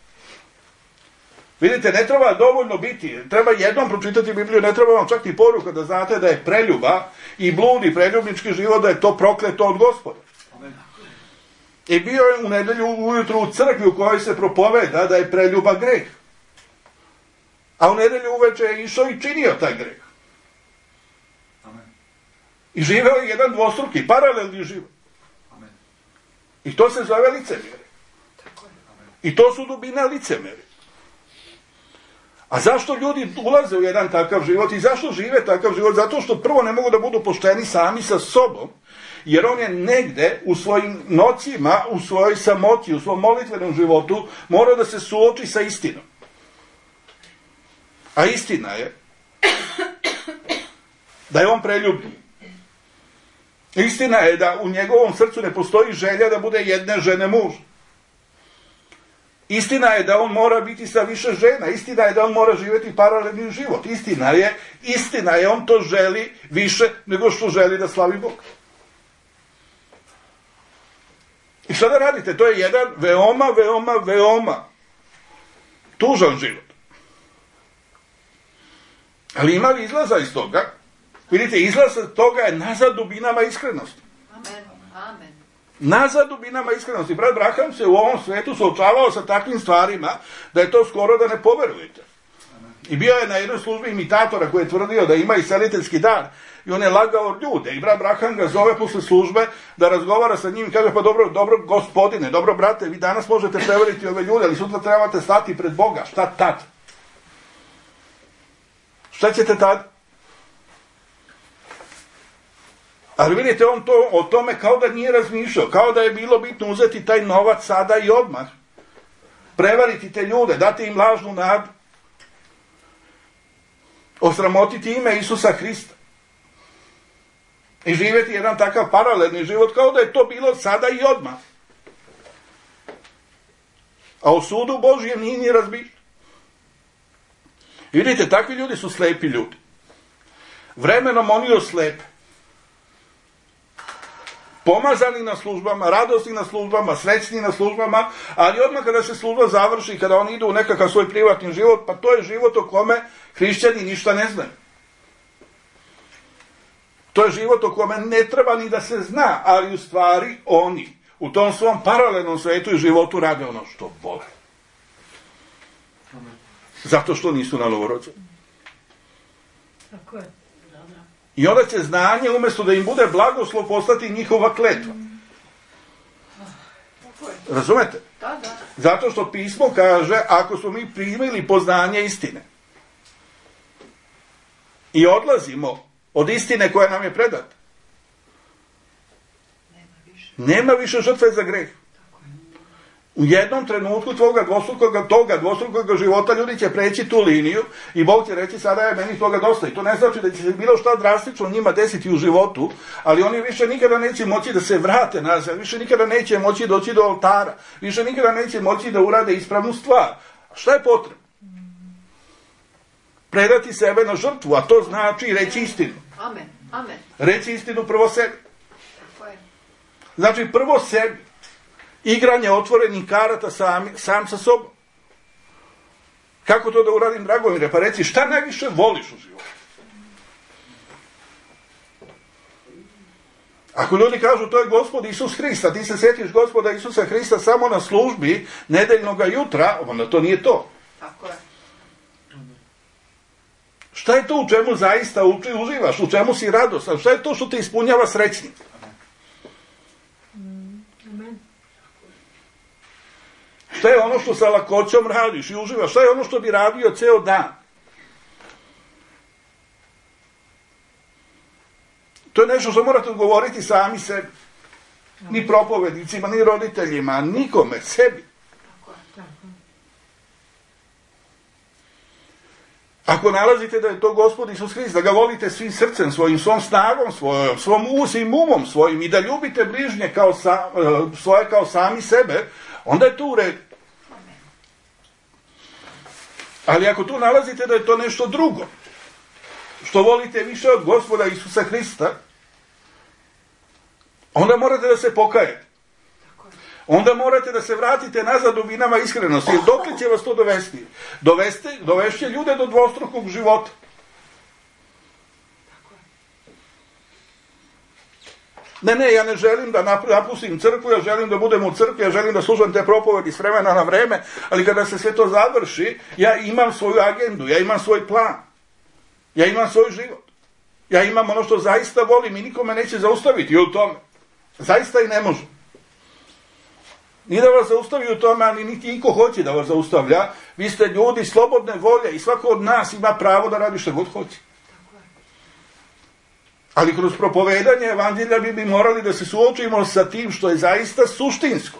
Vidite, ne treba dovoljno biti, treba jednom pročitati Bibliju, ne treba vam čak ni poruka da znate da je preljuba i blud i preljubnički život, da je to prokleto od Gospoda. I bio je u nedelju ujutru u crkvi u kojoj se propoveda da je preljuba greh. A u nedelju uveče je išao i činio taj greh. I živeo je jedan dvostruki, paralelni život.
Amen.
I to se zove licemjerje. I to su dubine licemjerja. A zašto ljudi ulaze u jedan takav život i zašto žive takav život? Zato što prvo ne mogu da budu pošteni sami sa sobom, jer on je negde u svojim nocima, u svojoj samoći, u svom molitvenom životu mora da se suoči sa istinom. A istina je da je on preljubljen. Istina je da u njegovom srcu ne postoji želja da bude jedne žene muž. Istina je da on mora biti sa više žena. Istina je da on mora živjeti paralelni život. Istina je, on to želi više nego što želi da slavi Bog. I šta da radite? To je jedan veoma tužan život. Ali ima li izlaza iz toga? Vidite, izlaz toga je nazad dubinama iskrenosti.
Amen.
Nazad dubinama iskrenosti. Brat Abraham se u ovom svetu suočavao sa takvim stvarima da je to skoro da ne poverujete. I bio je na jednoj službi imitatora koji je tvrdio da ima iseliteljski dar. I on je lagao ljude. I brat Abraham ga zove posle službe da razgovara sa njim i kaže, pa dobro gospodine, dobro brate, vi danas možete prevariti ove ljude, ali sutra trebate stati pred Boga. Šta tad? Šta ćete tad? Ali vidite, on to o tome kao da nije razmišljao, kao da je bilo bitno uzeti taj novac sada i odmah, prevariti te ljude, dati im lažnu nadu, osramotiti ime Isusa Hrista i živjeti jedan takav paralelni život kao da je to bilo sada i odmah. A o sudu Božjem nije ni razmišljao. I vidite, takvi ljudi su slepi ljudi. Vremenom oni oslepe. pomazani na službama, radosni na službama, srećni na službama, ali odmah kada se služba završi, kada oni idu u nekakav svoj privatni život, pa to je život o kome hrišćani ništa ne znaju. To je život o kome ne treba ni da se zna, ali u stvari oni u tom svom paralelnom svetu i životu rade ono što vole. Zato što nisu na novorođeni.
Tako je.
I onda će znanje, umjesto da im bude blagoslov, postati njihova kletva. Razumete?
Da.
Zato što pismo kaže, ako smo mi primili poznanje istine i odlazimo od istine koja nam je predata, nema više žrtve za greh. U jednom trenutku toga dvostrukog života ljudi će preći tu liniju i Bog će reći sada je meni toga dosta. I to ne znači da će se bilo šta drastično njima desiti u životu, ali oni više nikada neće moći da se vrate nazad, više nikada neće moći doći do oltara, više nikada neće moći da urade ispravnu stvar. A šta je potrebno? Predati sebe na žrtvu, a to znači reći istinu.
Amen.
Reći istinu prvo sebi.
Tako je.
Znači prvo sebi. Igranje otvorenih karata sam sa sobom. Kako to da uradim, Dragomire? Pa reci, šta najviše voliš u životu? Ako ljudi kažu to je Gospod Isus Hrist, a ti se sjetiš Gospoda Isusa Hrista samo na službi nedeljnog jutra, onda to nije to.
Tako je.
Šta je to u čemu zaista uživaš, u čemu si radostan, šta je to što te ispunjava srećnim? Šta je ono što sa lakoćom radiš i uživaš? Šta je ono što bi radio ceo dan? To je nešto što morate odgovoriti sami sebi. Ni propovednicima, ni roditeljima, nikome, sebi. Ako nalazite da je to Gospod Isus Hrist, da ga volite svim srcem svojim, svom snagom svojom, svom umom svojim i da ljubite bližnje svoje kao sami sebe, onda je to u redu. Ali ako tu nalazite da je to nešto drugo, što volite više od Gospoda Isusa Hrista, onda morate da se pokajete. Onda morate da se vratite nazad dubinama iskrenosti. Jer dokle će vas to dovesti? Dovešće ljude do dvostrukog života. Ne, ja ne želim da napustim crkvu, ja želim da budem u crkvi, ja želim da služam te propovedi s vremena na vreme, ali kada se sve to završi, ja imam svoju agendu, ja imam svoj plan, ja imam svoj život, ja imam ono što zaista volim i nikome neće zaustaviti u tome. Zaista i ne može. Ni da vas zaustavi u tome, ali niti niko hoće da vas zaustavlja. Vi ste ljudi slobodne volje i svako od nas ima pravo da radi što god hoće. Ali kroz propovedanje evanđelja bi morali da se suočimo sa tim što je zaista suštinsko.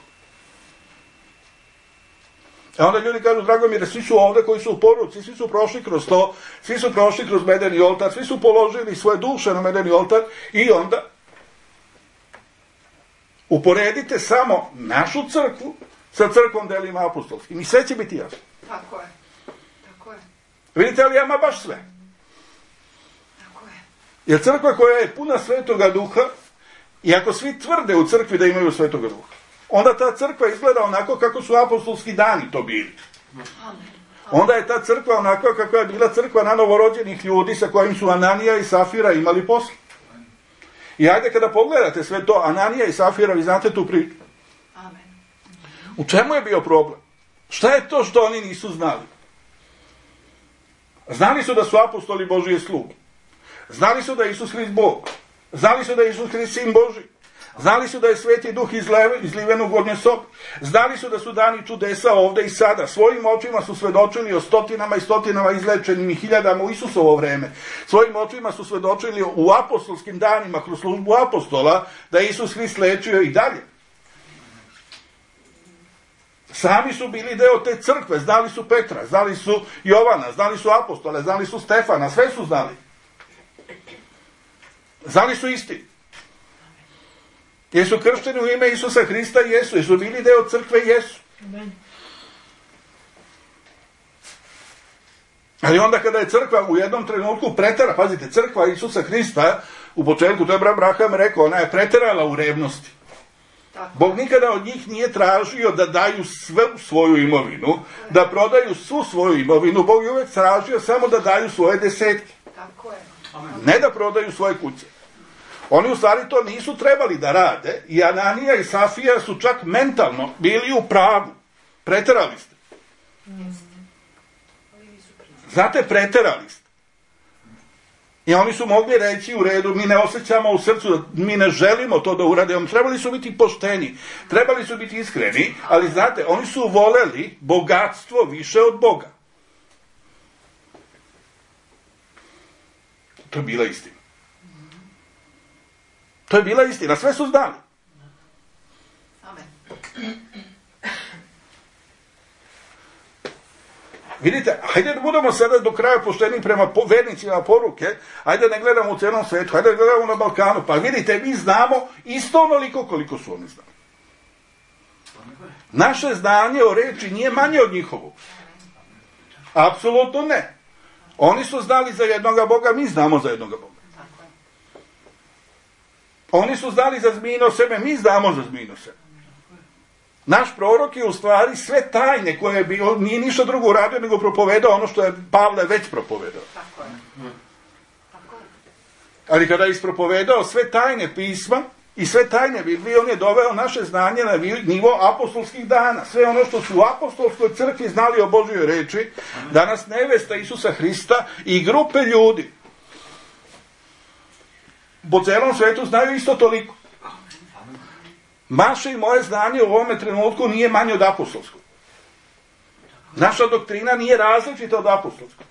A onda ljudi kažu, Dragomire, svi su ovde koji su u poruci, svi su prošli kroz to, svi su prošli kroz medeni oltar, svi su položili svoje duše na medeni oltar i onda uporedite samo našu crkvu sa crkvom delima apostolskim i sve će biti jasno.
Tako je.
Vidite, ali ima baš sve. Jer crkva koja je puna Svetoga Duha, i ako svi tvrde u crkvi da imaju Svetoga Duha, onda ta crkva izgleda onako kako su apostolski dani to bili. Onda je ta crkva onako kako je bila crkva na novorođenih ljudi sa kojim su Ananija i Safira imali posla. I ajde kada pogledate sve to, Ananija i Safira, vi znate tu priču. U čemu je bio problem? Šta je to što oni nisu znali? Znali su da su apostoli Božije sluge. Znali su da je Isus Hrist Bog. Znali su da je Isus Hrist Sin Božji. Znali su da je Sveti Duh izliven u gornje sobe. Znali su da su dani čudesa ovde i sada. Svojim očima su svedočili o stotinama i stotinama izlečenim i hiljadama u Isusovo vreme. Svojim očima su svedočili u apostolskim danima kroz službu apostola da je Isus Hrist lečio i dalje. Sami su bili deo te crkve. Znali su Petra, znali su Jovana, znali su apostole, znali su Stefana, sve su znali. Znali su istinu. Jesu kršteni u ime Isusa Hrista? Jesu. Jesu bili deo crkve? Jesu. Ali onda kada je crkva u jednom trenutku pretera, pazite, crkva Isusa Hrista, u početku, to je Abraham rekao, ona je preterala u revnosti. Bog nikada od njih nije tražio da daju sve svoju imovinu, da prodaju svu svoju imovinu. Bog je uvijek tražio samo da daju svoje desetke.
Tako je.
Ne da prodaju svoje kuće. Oni u stvari to nisu trebali da rade i Ananija i Safira su čak mentalno bili u pravu. Preterali ste. Znate, preterali ste. I oni su mogli reći u redu, mi ne osjećamo u srcu, mi ne želimo to da uradimo. Trebali su biti pošteni, trebali su biti iskreni, ali znate, oni su voleli bogatstvo više od Boga. To je bila istina. To je bila istina, sve su znali.
Amen.
Vidite, hajde da budemo sada do kraja pošteni prema vernicima poruke, hajde ne gledamo u celom svetu, hajde da gledamo na Balkanu, pa vidite, mi znamo isto onoliko koliko su oni znali. Naše znanje o reči nije manje od njihovog. Apsolutno ne. Oni su znali za jednoga Boga, mi znamo za jednoga Boga. Oni su znali za zmijino seme, mi znamo za zmijino seme. Naš prorok je u stvari sve tajne koje je bio, nije ništa drugo uradio nego propovedao ono što je Pavle već propovedao. Ali kada je ispropovedao sve tajne pisma i sve tajne Biblije, on je doveo naše znanje na nivo apostolskih dana. Sve ono što su u apostolskoj crkvi znali o Božjoj reči, danas nevesta Isusa Hrista i grupe ljudi po celom svetu znaju isto toliko. Vaše i moje znanje u ovome trenutku nije manje od apostolskog. Naša doktrina nije različita od apostolskog.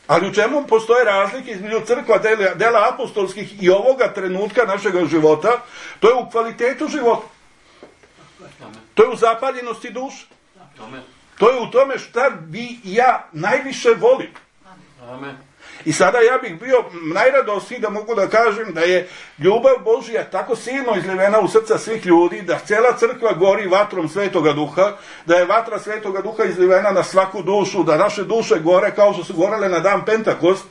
Ali u čemu postoje razlike između crkva dela apostolskih i ovoga trenutka našega života? To je u kvalitetu života. To je u zapaljenosti duše. To je u tome šta vi i ja najviše volim.
Amen.
I sada ja bih bio najradosniji da mogu da kažem da je ljubav Božja tako silno izlivena u srca svih ljudi, da cijela crkva gori vatrom Svetoga Duha, da je vatra Svetoga Duha izlivena na svaku dušu, da naše duše gore kao što su gorele na dan Pentakost,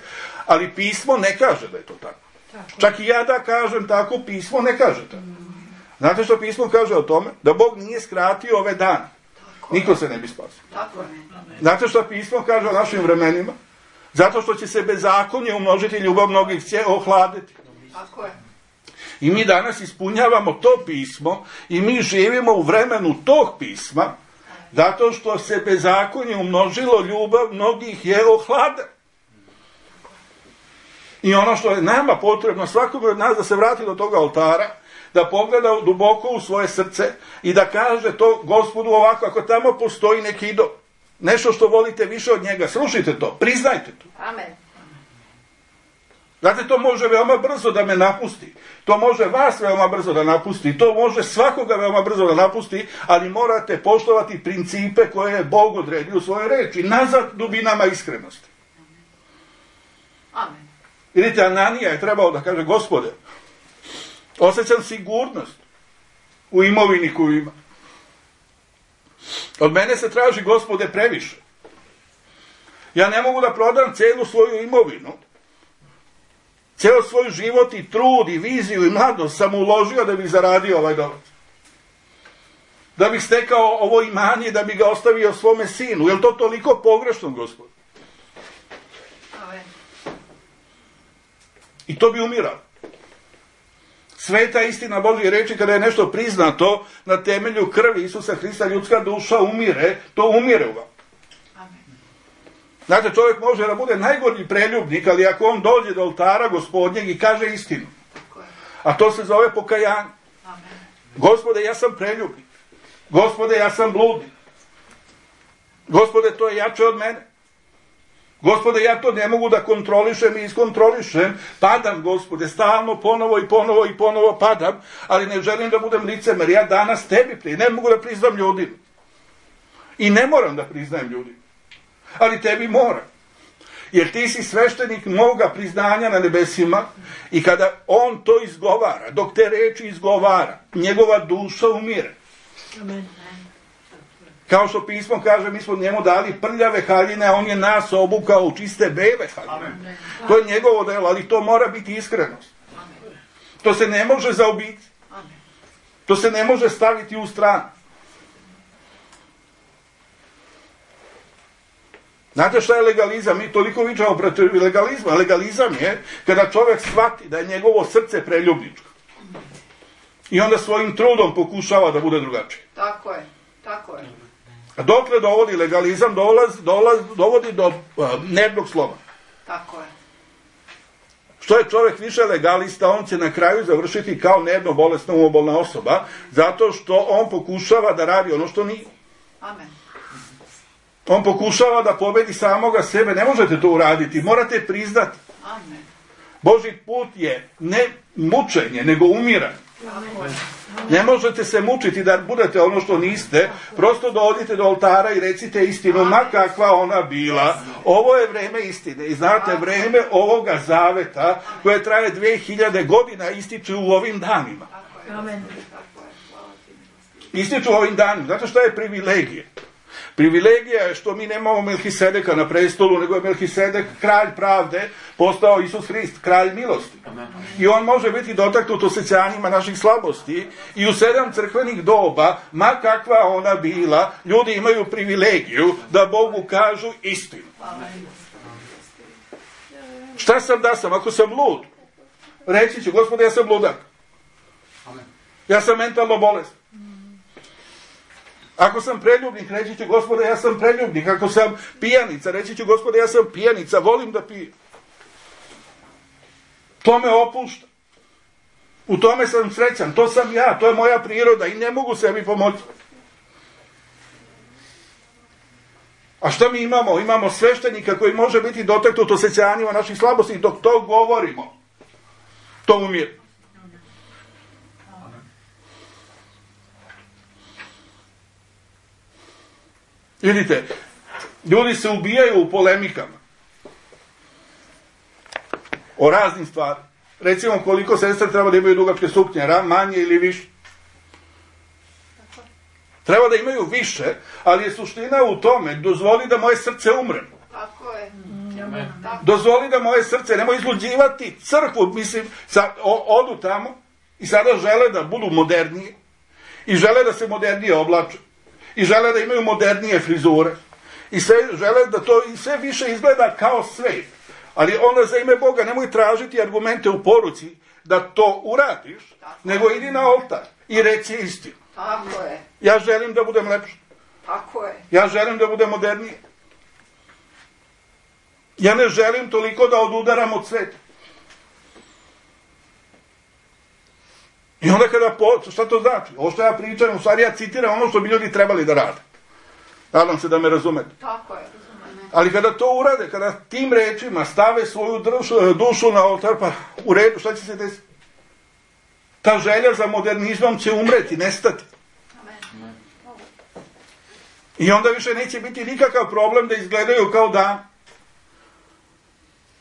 ali pismo ne kaže da je to tako. Čak i ja da kažem tako, pismo ne kaže tako. Znate što pismo kaže o tome? Da Bog nije skratio ove dane. Niko se ne bi spasio. Znate što pismo kaže o našim vremenima? Zato što će se bezakonje umnožiti, ljubav mnogih će ohladiti.
Tako je.
I mi danas ispunjavamo to pismo i mi živimo u vremenu tog pisma, zato što se bezakonje umnožilo, ljubav mnogih je ohladila. I ono što je nama potrebno, svakom od nas da se vrati do toga oltara, da pogleda duboko u svoje srce i da kaže to Gospodu ovako, ako tamo postoji neki idol, nešto što volite više od njega, slušajte to, priznajte to.
Amen.
Znate, to može veoma brzo da me napusti. To može vas veoma brzo da napusti. To može svakoga veoma brzo da napusti, ali morate poštovati principe koje je Bog odredio u svojoj reči. Nazad dubinama iskrenosti.
Amen.
Vidite, Ananija je trebao da kaže, Gospode, osjećam sigurnost u imovini koju ima. Od mene se traži, Gospode, previše. Ja ne mogu da prodam celu svoju imovinu. Ceo svoj život i trud i viziju i mladost sam uložio da bih zaradio ovaj novac. Da bih stekao ovo imanje, da bih ga ostavio svome sinu. Je li to toliko pogrešno, Gospod?
Amen.
I to bi umirao. Sveta istina Božje reči, kada je nešto priznato na temelju krvi Isusa Hrista, ljudska duša umire, to umire u vam. Znate, čovjek može da bude najgornji preljubnik, ali ako on dođe do oltara Gospodnjeg i kaže istinu, a to se zove pokajanje. Gospode, ja sam preljubnik. Gospode, ja sam bludnik. Gospode, to je jače od mene. Gospode, ja to ne mogu da kontrolišem i iskontrolišem. Padam, Gospode, stalno, ponovo i ponovo i ponovo padam, ali ne želim da budem licemer. Ja danas tebi ne mogu da priznam ljudima. I ne moram da priznajem ljudima. Ali tebi moram. Jer ti si sveštenik moga priznanja na nebesima i kada on to izgovara, dok te reči izgovara, njegova duša umire.
Amen.
Kao što pismo kaže, mi smo njemu dali prljave haljine, a on je nas obukao u čiste bele haljine. To je njegovo delo, ali to mora biti iskrenost. To se ne može zaobići. To se ne može staviti u stranu. Znate šta je legalizam? Mi toliko vičamo protiv legalizma. Legalizam je kada čovjek shvati da je njegovo srce preljubničko. I onda svojim trudom pokušava da bude drugačiji.
Tako je, tako je.
A dokle dovodi legalizam? Dovodi do nervnog sloma.
Tako je.
Što je čovjek više legalista, on će na kraju završiti kao nervno bolesna umobolna osoba, zato što on pokušava da radi ono što nije.
Amen.
On pokušava da pobedi samoga sebe. Ne možete to uraditi, morate priznati.
Amen.
Božji put je ne mučenje, nego umiranje.
Tako je.
Ne možete se mučiti da budete ono što niste, prosto dođite do oltara i recite istinu, ma kakva ona bila. Ovo je vreme istine i znate, vreme ovoga zaveta koje traje 2000 godina ističe u ovim danima.
Amen.
Ističu u ovim danima. Znate šta je privilegija? Privilegija je što mi nemamo Melhisedeka na prestolu, nego je Melhisedek kralj pravde, postao Isus Hrist, kralj milosti. I on može biti dotaknut osjećanjima naših slabosti i u 7 crkvenih doba, ma kakva ona bila, ljudi imaju privilegiju da Bogu kažu istinu. Šta sam da sam? Ako sam lud, reći ću, Gospode, ja sam ludak. Ja sam mentalno bolestan. Ako sam preljubnik, reći ću, Gospode, ja sam preljubnik. Ako sam pijanica, reći ću, Gospode, ja sam pijanica, volim da pijem. To me opušta. U tome sam srećan, to sam ja, to je moja priroda i ne mogu sebi pomoći. A šta mi imamo? Imamo sveštenika koji može biti dotaknut osjećanjima naših slabosti i dok to govorimo, to umire. Vidite, ljudi se ubijaju u polemikama o raznim stvarima. Recimo, koliko sestre treba da imaju dugačke suknje, manje ili više. Treba da imaju više, ali je suština u tome, dozvoli da moje srce umre.
Tako je.
Dozvoli da moje srce, nemoj izluđivati crkvu, mislim, odu tamo i sada žele da budu modernije i žele da se modernije oblače i žele da imaju modernije frizure i žele da to i sve više izgleda kao svet. Ali onda za ime Boga nemoj tražiti argumente u poruci da to uradiš, nego idi na oltar i reci istinu.
Tako je.
Ja želim da budem lepši.
Tako je.
Ja želim da budem moderniji. Ja ne želim toliko da odudaram od sveta. I onda šta to znači? Ovo što ja pričam, u stvari ja citiram ono što bi ljudi trebali da rade. Nadam se da me razumete.
Tako je, razumem.
Ali kada to urade, kada tim rečima stave svoju dušu na oltar, pa u redu, šta će se desiti? Ta želja za modernizmom će umreti, nestati.
Amen.
I onda više neće biti nikakav problem da izgledaju kao dan.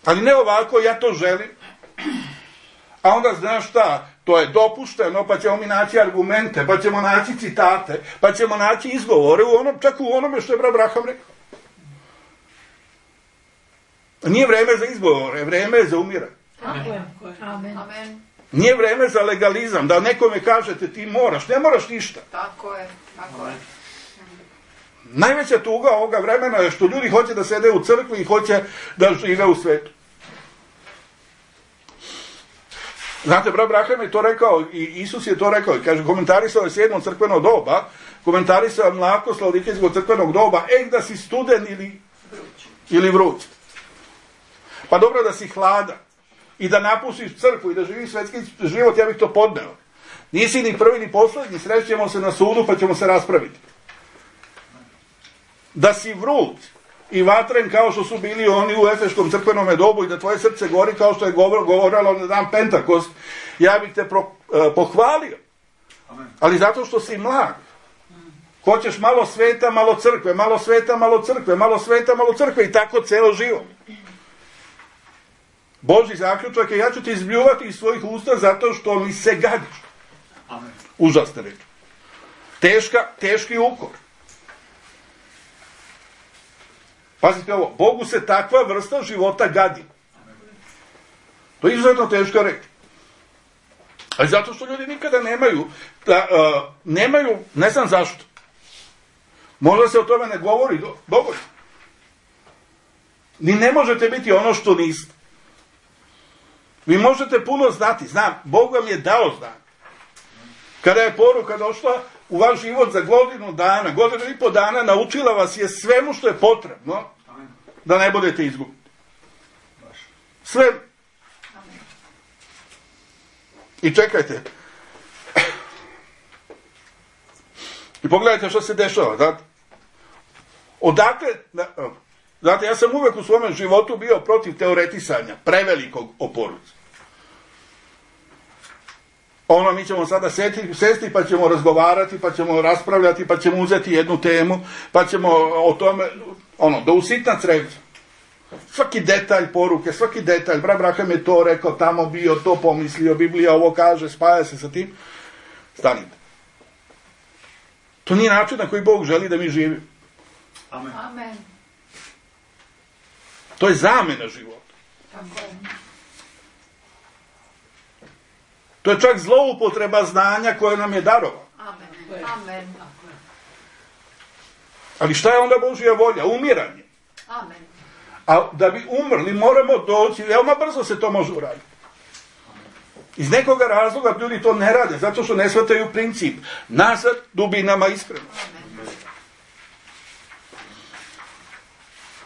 Ali ne ovako, ja to želim. A onda znaš šta, to je dopušteno, pa ćemo mi naći argumente, pa ćemo naći citate, pa ćemo naći izgovore, čak u onome što je Abraham rekao. Nije vreme za izgovore, vreme je za umiranje.
Amen. Amen.
Nije vreme za legalizam, da nekome kažete ti moraš, ne moraš ništa.
Tako je, tako je.
Najveća tuga ovoga vremena je što ljudi hoće da sede u crkvi i hoće da žive u svetu. Znate, Abraham je to rekao i Isus je to rekao i kaže, komentarisao je 7. crkveno doba, komentarisao je mlakost Laodikejskog crkvenog doba, da si studen ili vruć. Pa dobro da si hladan i da napustiš crkvu i da živiš svetski život, ja bih to podneo. Nisi ni prvi ni poslednji, srećemo se na sudu pa ćemo se raspraviti. Da si vruć i vatren kao što su bili oni u Efeškom crkvenom dobu i da tvoje srce gori kao što je govorilo na dan Pentakost, ja bih te pohvalio. Ali zato što si mlad. Hoćeš malo sveta, malo crkve, malo sveta, malo crkve, malo sveta, malo crkve i tako celo život. Božji zaključak je, ja ću te izbljuvati iz svojih usta zato što mi se gadiš. Užasne reči. Teški ukor. Pazite ovo, Bogu se takva vrsta života gadi. To je izuzetno teško reći. Ali zato što ljudi nikada nemaju, ne znam zašto. Možda se o tome ne govori dovoljno. Ni ne možete biti ono što niste. Vi možete puno znati, znam, Bog vam je dao znanje. Kada je poruka došla u vaš život za godinu i po dana, naučila vas je svemu što je potrebno da ne budete izgubiti. Sve. I čekajte. I pogledajte što se dešava, znate. Odakle, znate, ja sam uvek u svome životu bio protiv teoretisanja, prevelikog o poruci. Mi ćemo sada sesti pa ćemo razgovarati, pa ćemo raspravljati, pa ćemo uzeti jednu temu, pa ćemo o tome, da usitna crevca. Svaki detalj poruke, svaki detalj, Abraham je to rekao, tamo bio, to pomislio, Biblija ovo kaže, spaja se sa tim. Stanite. To nije način na koji Bog želi da mi živimo.
Amen.
To je zamena života. To je čak zloupotreba znanja koje nam je darovao.
Amen.
Ali šta je onda Božja volja? Umiranje.
Amen.
A da bi umrli moramo doći, veoma brzo se to može uraditi. Iz nekoga razloga ljudi to ne rade, zato što ne shvataju princip. Nazad dubinama iskreno.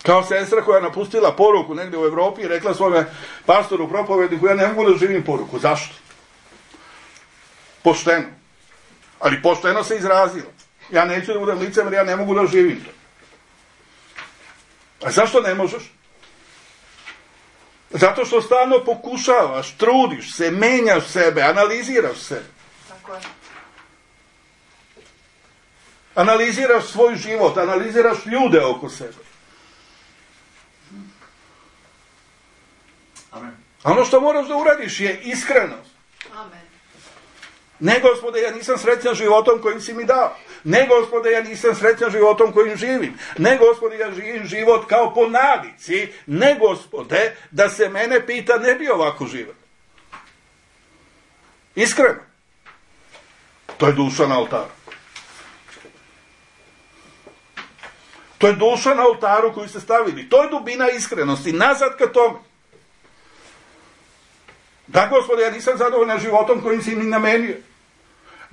Kao sestra koja je napustila poruku negdje u Evropi i rekla svome pastoru, propovedniku, ja ne mogu da živim poruku. Zašto? Pošteno. Ali pošteno se izrazilo. Ja neću da budem licemer, ja ne mogu da živim to. A zašto ne možeš? Zato što stalno pokušavaš, trudiš se, menjaš sebe, analiziraš sebe.
Tako je.
Analiziraš svoj život, analiziraš ljude oko sebe.
Amen.
A ono što moraš da uradiš je iskrenost.
Amen.
Ne, Gospode, ja nisam srećan životom kojim si mi dao. Ne, Gospode, ja nisam srećan životom kojim živim. Ne, Gospode, ja živim život kao po navici. Ne, Gospode, da se mene pita, ne bi ovako živio. Iskreno. To je duša na oltaru. To je duša na oltaru koju ste stavili. To je dubina iskrenosti. Nazad ka tome. Da, Gospode, ja nisam zadovoljan životom kojim si mi namenio.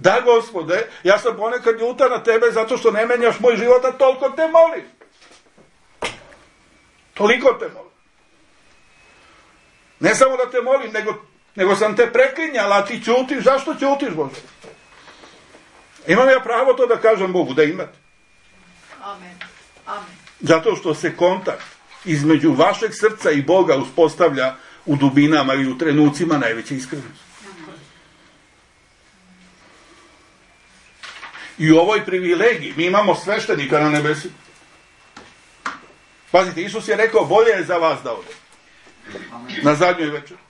Da, Gospode, ja sam ponekad ljuta na tebe zato što ne menjaš moj život, a toliko te molim. Toliko te molim. Ne samo da te molim, nego sam te preklinjala, a ti ćutiš. Zašto ćutiš, Bože? Imam ja pravo to da kažem Bogu, da imate.
Amen. Amen.
Zato što se kontakt između vašeg srca i Boga uspostavlja u dubinama i u trenucima najveće iskrenosti. I u ovoj privilegiji mi imamo sveštenika na nebesi. Pazite, Isus je rekao, bolje je za vas da ode. Na zadnjoj večeri.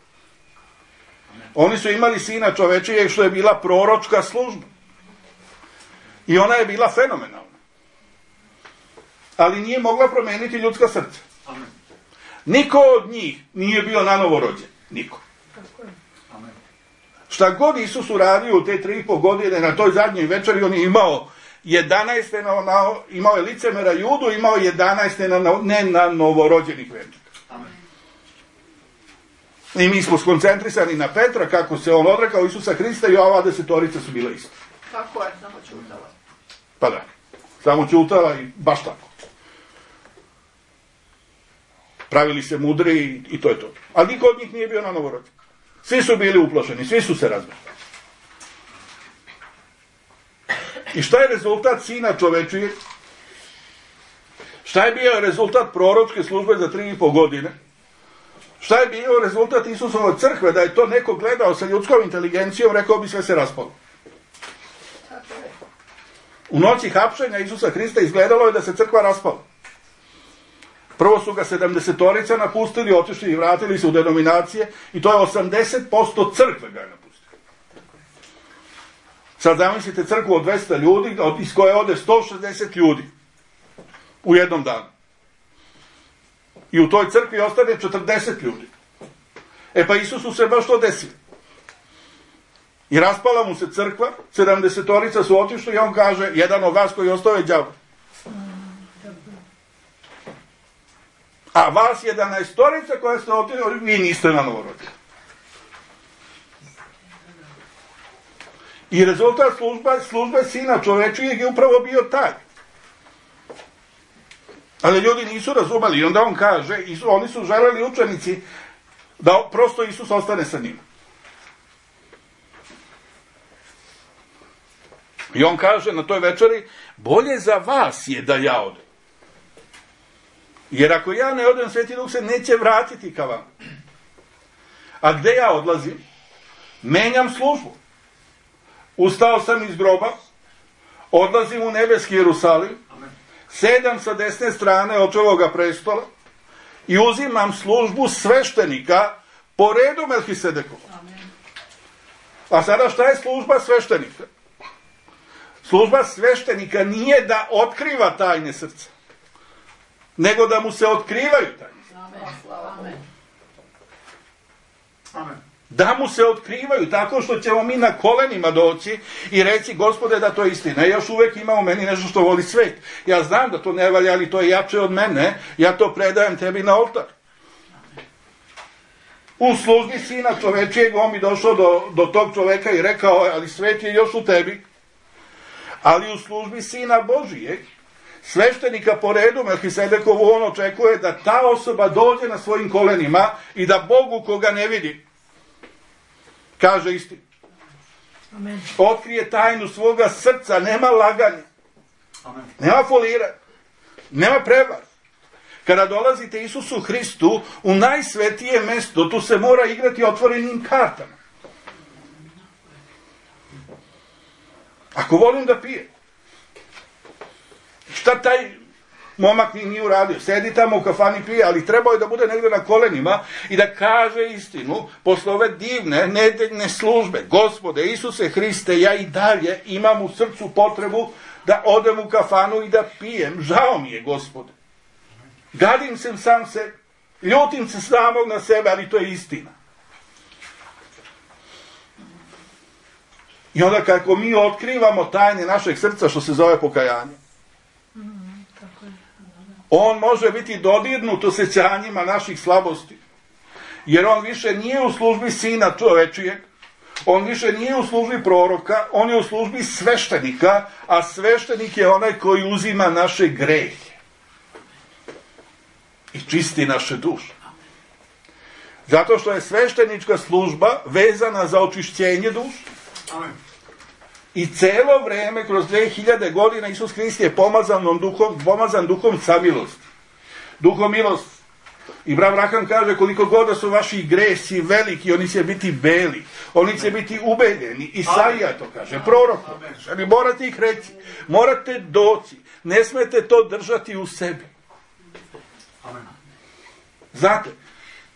Oni su imali Sina čovečijeg, što je bila proročka služba. I ona je bila fenomenalna. Ali nije mogla promeniti ljudska srca. Niko od njih nije bio nanovo rođen. Niko. Šta god Isus uradio u te 3,5 godine na toj zadnjoj večeri, on je imao 11. Imao je licemera Judu, imao 11. ne na novorođenih vernika. I mi smo skoncentrisani na Petra, kako se on odrekao Isusa Hrista, i ova 10 su bile isto.
Tako je, samo ćutala.
Pa da, samo ćutala i baš tako. Pravili se mudri i to je to. Ali niko od njih nije bio na novorođen. Svi su bili uplašeni, svi su se razbili. I šta je rezultat Sina čovečijeg? Šta je bio rezultat proročke službe za 3,5 godine? Šta je bio rezultat Isusove crkve? Da je to neko gledao sa ljudskom inteligencijom, rekao bi sve se raspalo. U noći hapšenja Isusa Hrista izgledalo je da se crkva raspala. Prvo su ga 70 napustili, otišli i vratili se u denominacije, i to je 80% crkve ga je napustili. Sad zamislite crkvu od 200 ljudi, iz koje ode 160 ljudi u jednom danu. I u toj crkvi ostane 40 ljudi. Pa Isusu se baš to desilo. I raspala mu se crkva, 70 su otišli i on kaže, jedan od vas koji ostao je đavo. A vas 11 koja ste otišli, vi niste na novorođeni. I rezultat službe Sina čovečijeg je upravo bio taj. Ali ljudi nisu razumeli i onda on kaže, oni su želeli učenici da prosto Isus ostane sa njima. I on kaže na toj večeri, bolje za vas je da ja odem. Jer ako ja ne odem, Sveti Duh se neće vratiti ka vam. A gde ja odlazim? Menjam službu. Ustao sam iz groba, odlazim u nebeski Jerusalim, sedam sa desne strane očevoga prestola i uzimam službu sveštenika po redu Melhisedekova. A sada šta je služba sveštenika? Služba sveštenika nije da otkriva tajne srca, nego da mu se otkrivaju tajne srca. Da mu se otkrivaju tako što ćemo mi na kolenima doći i reći, Gospode, da to je istina. Još uvek ima u meni nešto što voli svet. Ja znam da to ne valja, ali to je jače od mene. Ja to predajem tebi na oltar. U službi Sina čovečijeg on bi došao do tog čoveka i rekao, ali svet je još u tebi. Ali u službi Sina Božijeg, sveštenika po redu Melhisedekovu, on očekuje da ta osoba dođe na svojim kolenima i da Bogu koga ne vidi kaže istinu.
Amen.
Otkrije tajnu svoga srca, nema laganja.
Amen.
Nema foliranja. Nema prevar. Kada dolazite Isusu Hristu u najsvetije mesto, tu se mora igrati otvorenim kartama. Ako volim da pijem, šta taj momak nije uradio? Sedi tamo u kafani, pije, ali trebao je da bude negdje na kolenima i da kaže istinu posle ove divne nedeljne službe. Gospode Isuse Hriste, ja i dalje imam u srcu potrebu da odem u kafanu i da pijem. Žao mi je, Gospode. Gadim se sam se, ljutim se samog na sebe, ali to je istina. I onda kako mi otkrivamo tajne našeg srca, što se zove pokajanje, on može biti dodirnut osjećanjima naših slabosti. Jer on više nije u službi Sina čovečijeg, on više nije u službi proroka, on je u službi sveštenika, a sveštenik je onaj koji uzima naše grehe i čisti naše duše. Zato što je sveštenička služba vezana za očišćenje duše.
Amen.
I celo vreme, kroz 2000 godina, Isus Hrist je pomazan duhom samilosti. Duhom milosti. I brat Braham kaže, koliko god da su vaši gresi veliki, oni će biti beli. Oni će biti ubeljeni. Isaija to kaže, prorok. Ali morate ih reći. Morate doći. Ne smete to držati u sebi.
Amen.
Znate,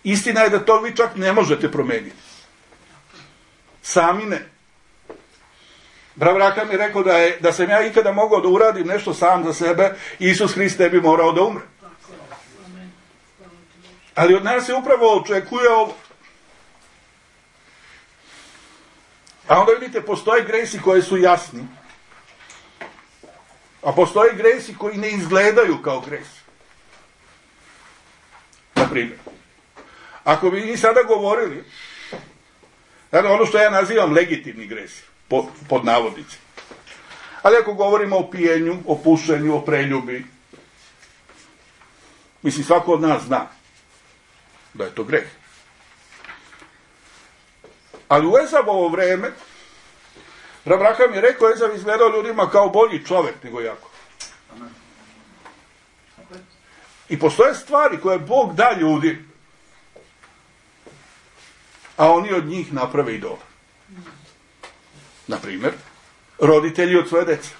istina je da to vi čak ne možete promeniti. Sami ne. Brat Braham je rekao da sam ja ikada mogao da uradim nešto sam za sebe, Isus Hrist ne bi morao da umre. Ali od nas se upravo očekuje ovo. A onda vidite, postoje gresi koje su jasni, a postoje gresi koji ne izgledaju kao gresi. Na primjer, ako bi mi sada govorili, ono što ja nazivam legitimni gresi, pod navodnicima. Ali ako govorimo o pijenju, o pušenju, o preljubi, mislim, svako od nas zna da je to greh. Ali u Ezabovo vreme, Braham je rekao, Ezav izgledao ljudima kao bolji čovjek nego Jakov. I postoje stvari koje Bog da ljudi, a oni od njih naprave idola. Na primjer, roditelji od svoje dece.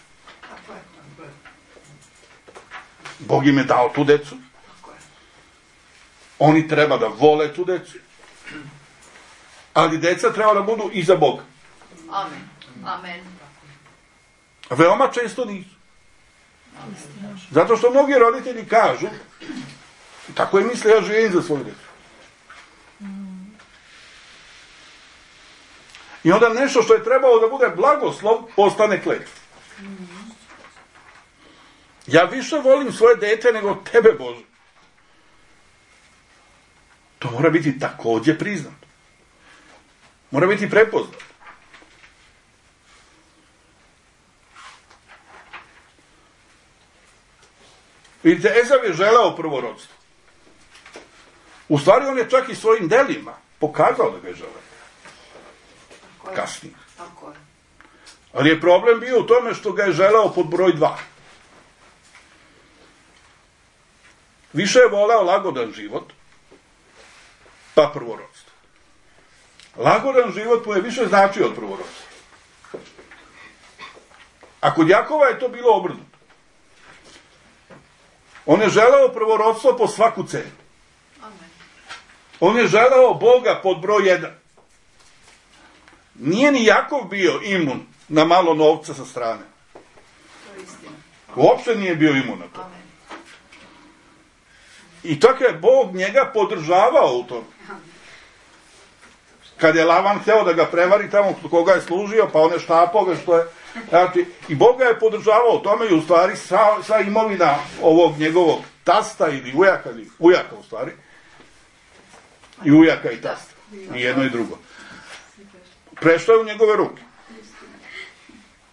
Bog im je dao tu decu. Oni treba da vole tu decu. Ali deca treba da budu iza Boga.
Amen. Amen.
Veoma često nisu. Zato što mnogi roditelji kažu, Tako je misle, ja živim za svoju djecu. I onda nešto što je trebalo da bude blagoslov, postane kletva. Ja više volim svoje dete nego tebe, Bože. To mora biti također priznato. Mora biti prepoznato. Vidite, Ezav je želeo prvorodstvo. U stvari on je čak i svojim delima pokazao da ga je želeo. Kasnije. Ali je problem bio u tome što ga je želeo pod broj 2. Više je voleo lagodan život, pa prvorodstvo. Lagodan život mu je više značio od prvorodstva. A kod Jakova je to bilo obrnuto. On je želeo prvorodstvo po svaku cenu. On je želeo Boga pod broj 1. Nije ni Jakov bio imun na malo novca sa strane. Uopšte nije bio imun na to. I tako je Bog njega podržavao u tom. Kad je Lavan hteo da ga prevari tamo koga je služio, pa on je štapao ga što je. Znači, i Bog ga je podržavao u tome i u stvari sva imovina ovog njegovog tasta ili ujaka u stvari. I ujaka i tasta. I jedno i drugo. Prešlo je u njegove ruke.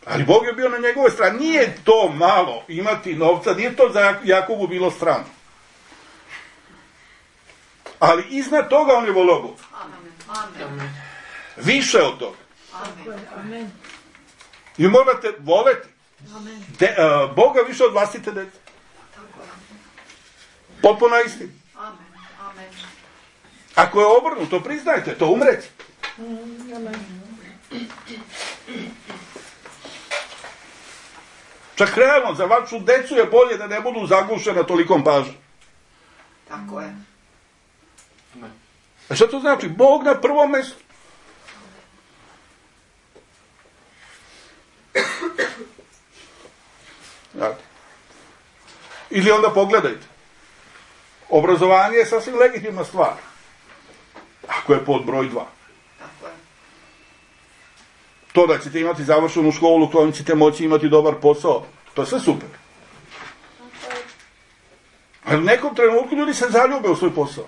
Ali Bog je bio na njegove strane. Nije to malo imati novca, nije to za Jakovu bilo strano. Ali iznad toga on je volio Boga.
Amen.
Više od toga.
Amen.
I morate voleti Boga više od vlastite dece. Potpuno istinu.
Amen.
Ako je obrnuto, priznajte, to umreti. Čak realno, za vašu decu je bolje da ne budu zagušena tolikom pažnjom.
Tako je.
A šta to znači? Bog na prvom mjestu. Ili onda pogledajte. Obrazovanje je sasvim legitimna stvar. Ako je pod broj 2.
Tako je.
To da ćete imati završenu školu, kojom ćete moći imati dobar posao, to je sve super. Ali u nekom trenutku ljudi se zaljube u svoj posao,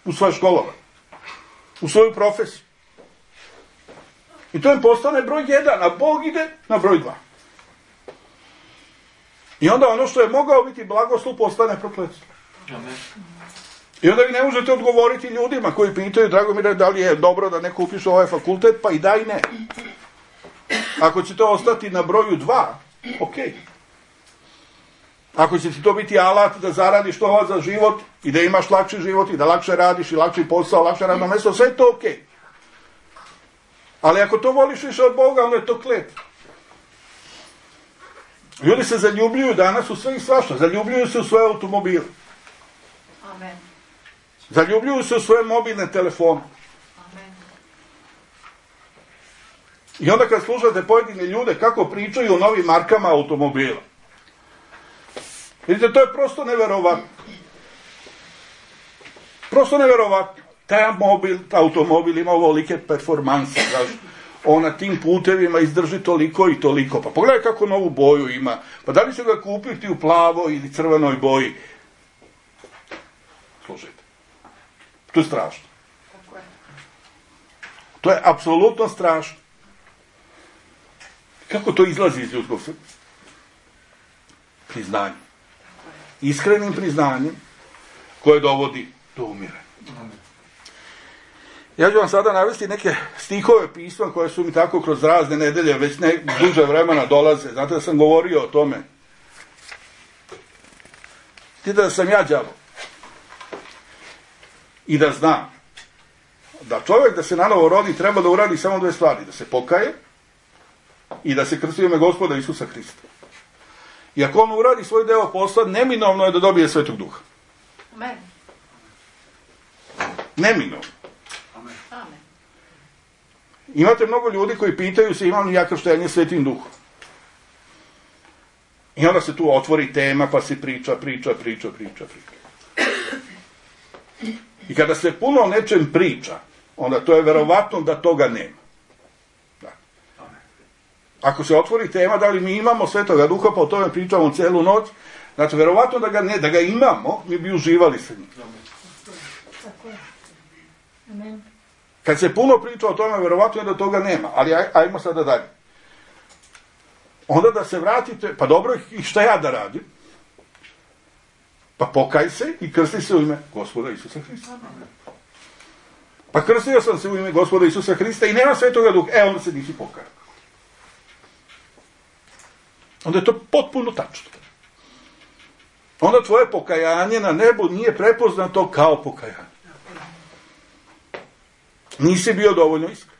u svoje školovanje, u svoju profesiju. I to im postane broj 1, a Bog ide na broj 2. I onda ono što je mogao biti blagoslov postane prokletstvo. I onda vi ne možete odgovoriti ljudima koji pitaju, Dragomire, da li je dobro da neko upiše ovaj fakultet, pa i da i ne. Ako će to ostati na broju 2, ok. Ako će ti to biti alat da zaradiš to za život i da imaš lakši život i da lakše radiš i lakši posao, lakše radno mjesto, sve je to ok. Ali ako to voliš više od Boga, onda je to kletva. Ljudi se zaljubljuju danas u sve i svašta. Zaljubljuju se u svoje automobile.
Amen.
Zaljubljuju se u svoje mobilne telefone.
Amen.
I onda kad slušate pojedine ljude kako pričaju o novim markama automobila. Vidite, to je prosto neverovatno. Prosto neverovatno. Taj automobil ima ovolike performanse. On na tim putevima izdrži toliko i toliko. Pa pogledaj kako novu boju ima. Pa da li će ga kupiti u plavoj ili crvenoj boji? Slušajte. To je strašno. To je apsolutno strašno. Kako to izlazi iz ljudskog srca? Priznanje. Iskrenim priznanjem koje dovodi do umiranja. Ja ću vam sada navesti neke stihove pisma koje su mi tako kroz razne nedelje već duže vremena dolaze. Znate da sam govorio o tome. Vidite da sam ja đavo. I da znam da čovjek da se nanovo rodi treba da uradi samo 2 stvari. Da se pokaje i da se krsti u ime Gospoda Isusa Hrista. I ako on uradi svoj deo posla, neminovno je da dobije Svetog Duha.
Amen.
Neminovno.
Amen.
Imate mnogo ljudi koji pitaju se imam li ja krštenje Svetim Duhom. I onda se tu otvori tema pa se priča. I kada se puno o nečem priča, onda to je verovatno da toga nema. Da. Ako se otvori tema da li mi imamo Svetoga Duha, pa o tome pričamo celu noć, znači verovatno da ga imamo, mi bi uživali sa njim. Kad se puno priča o tome, verovatno je da toga nema, ali ajmo sada dalje. Onda da se vratite, pa dobro, i šta ja da radim? Pa pokaj se i krsti se u ime Gospoda Isusa Hrista. Pa krstio sam se u ime Gospoda Isusa Hrista i nema Svetoga Duha. Onda se nisi pokajao. Onda je to potpuno tačno. Onda tvoje pokajanje na nebu nije prepoznato kao pokajanje. Nisi bio dovoljno iskren.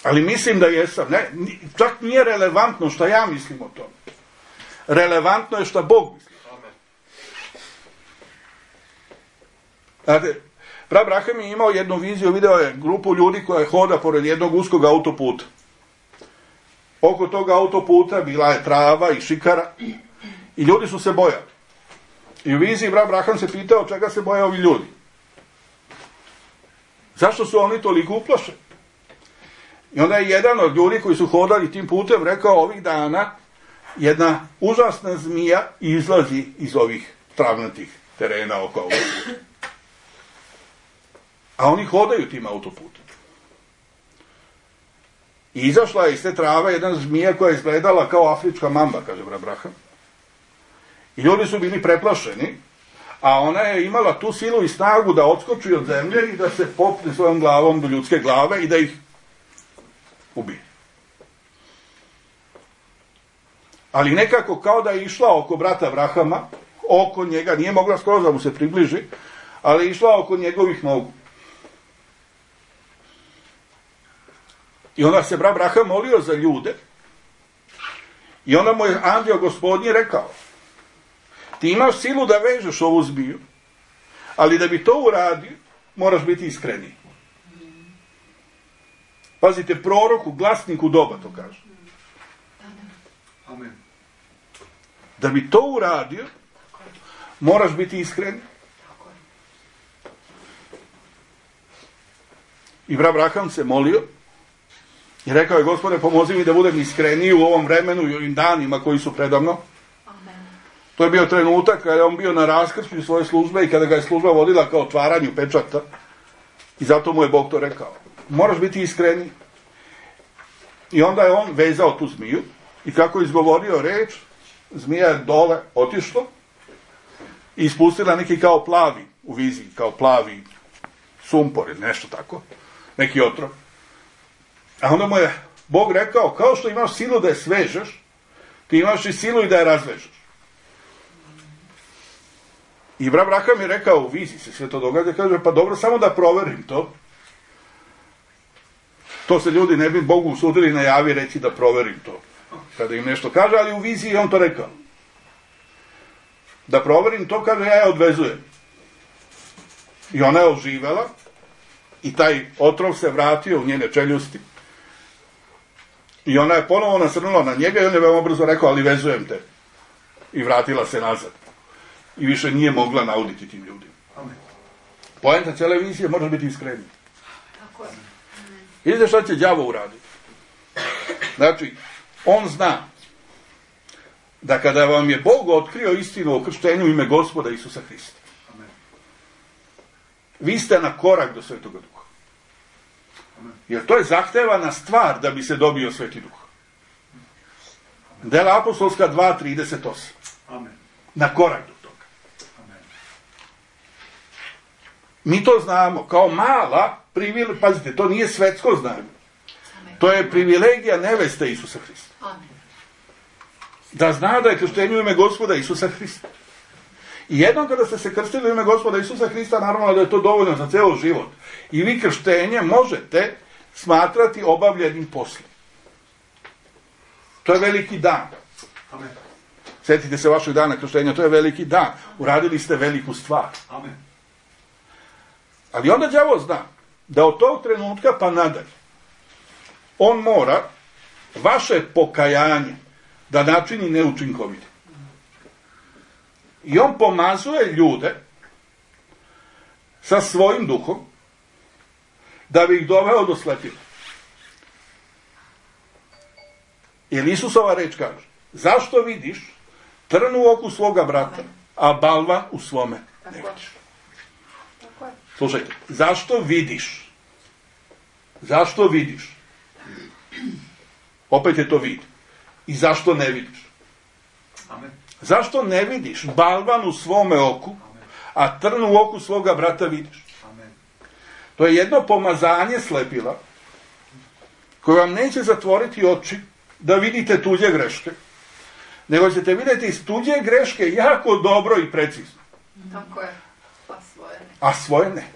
Ali mislim da jesam. Ne, čak nije relevantno šta ja mislim o tome. Relevantno je šta Bog misli. Znate, Prav Braham je imao jednu viziju, video je grupu ljudi koja hoda pored jednog uskog autoputa. Oko tog autoputa bila je trava i šikara i ljudi su se bojali. I u viziji Prav Braham se pitao čega se boje ovi ljudi. Zašto su oni toliko uplašeni? I onda je jedan od ljudi koji su hodali tim putem rekao ovih dana jedna užasna zmija izlazi iz ovih travnatih terena oko autoputa. A oni hodaju tim autoputom. I izašla je iz te trave jedna zmija koja je izgledala kao afrička mamba, kaže Prav Braham. I ljudi su bili preplašeni, a ona je imala tu silu i snagu da odskoči od zemlje i da se popne svojom glavom do ljudske glave i da ih ubije. Ali nekako kao da je išla oko brata Brahama, oko njega, nije mogla skoro da mu se približi, ali je išla oko njegovih nogu. I onda se brat Braham molio za ljude i onda mu je anđeo Gospodnji rekao ti imaš silu da vežeš ovu zmiju, ali da bi to uradio moraš biti iskreniji. Pazite, proroku, glasniku doba to kaže.
Amen.
Da bi to uradio moraš biti iskren. I brat Braham se molio i rekao je Gospode pomozi mi da budem iskreniji u ovom vremenu i ovim danima koji su predamno. To je bio trenutak kada je on bio na raskršću svoje službe i kada ga je služba vodila kao otvaranju pečata. I zato mu je Bog to rekao. Moraš biti iskreni. I onda je on vezao tu zmiju i kako je izgovorio reč, zmija je dole otišla i ispustila neki kao plavi u viziji, kao plavi sumpor ili nešto tako, neki otrov. A onda mu je Bog rekao, kao što imaš silu da je svežeš, ti imaš i silu i da je razvežeš. I brat Braham je rekao, u viziji se sve to događa, kaže, pa dobro, samo da proverim to. To se ljudi ne bi Bogu usudili na javi reći da proverim to. Kada im nešto kaže, ali u viziji je on to rekao. Da proverim to, kaže, ja je odvezujem. I ona je oživela i taj otrov se vratio u njene čeljusti. I ona je ponovo nasrnula na njega i on je veoma brzo rekao, ali vezujem te. I vratila se nazad. I više nije mogla nauditi tim ljudima. Poenta cijele vizije može biti iskreniji. Vidite šta će đavo uraditi. Znači, on zna da kada vam je Bog otkrio istinu o krštenju u ime Gospoda Isusa Hrista, vi ste na korak do Svetoga Duha. Jer to je zahtevana stvar da bi se dobio Sveti Duh. Dela apostolska 2:38. Na korak do toga. Mi to znamo kao mala privilegija, pazite, to nije svetsko znanje. To je privilegija neveste Isusa Hrista. Da zna da je krštenje u ime Gospoda Isusa Hrista. I jednom kada ste se krstili u ime Gospoda Isusa Hrista, naravno da je to dovoljno za ceo život. I vi krštenje možete smatrati obavljenim poslom. To je veliki dan.
Amen.
Sjetite se vašeg dana krštenja, to je veliki dan. Uradili ste veliku stvar.
Amen.
Ali onda đavo zna da od tog trenutka pa nadalje on mora vaše pokajanje da načini neučinkovito. I on pomazuje ljude sa svojim duhom da bi ih doveo do slepila. Jer Isusova reč kaže, zašto vidiš trn u oku svoga brata, a balvan u svome ne vidiš? Slušajte, zašto vidiš? Zašto vidiš? Opet je to vid. I zašto ne vidiš?
Amen.
Zašto ne vidiš balvan u svome oku, a trn u oku svoga brata vidiš?
Amen.
To je jedno pomazanje slepila koje vam neće zatvoriti oči da vidite tuđe greške, nego ćete vidjeti iz tuđe greške jako dobro i precizno.
Tako je. Pa svoje ne.
A svoje ne.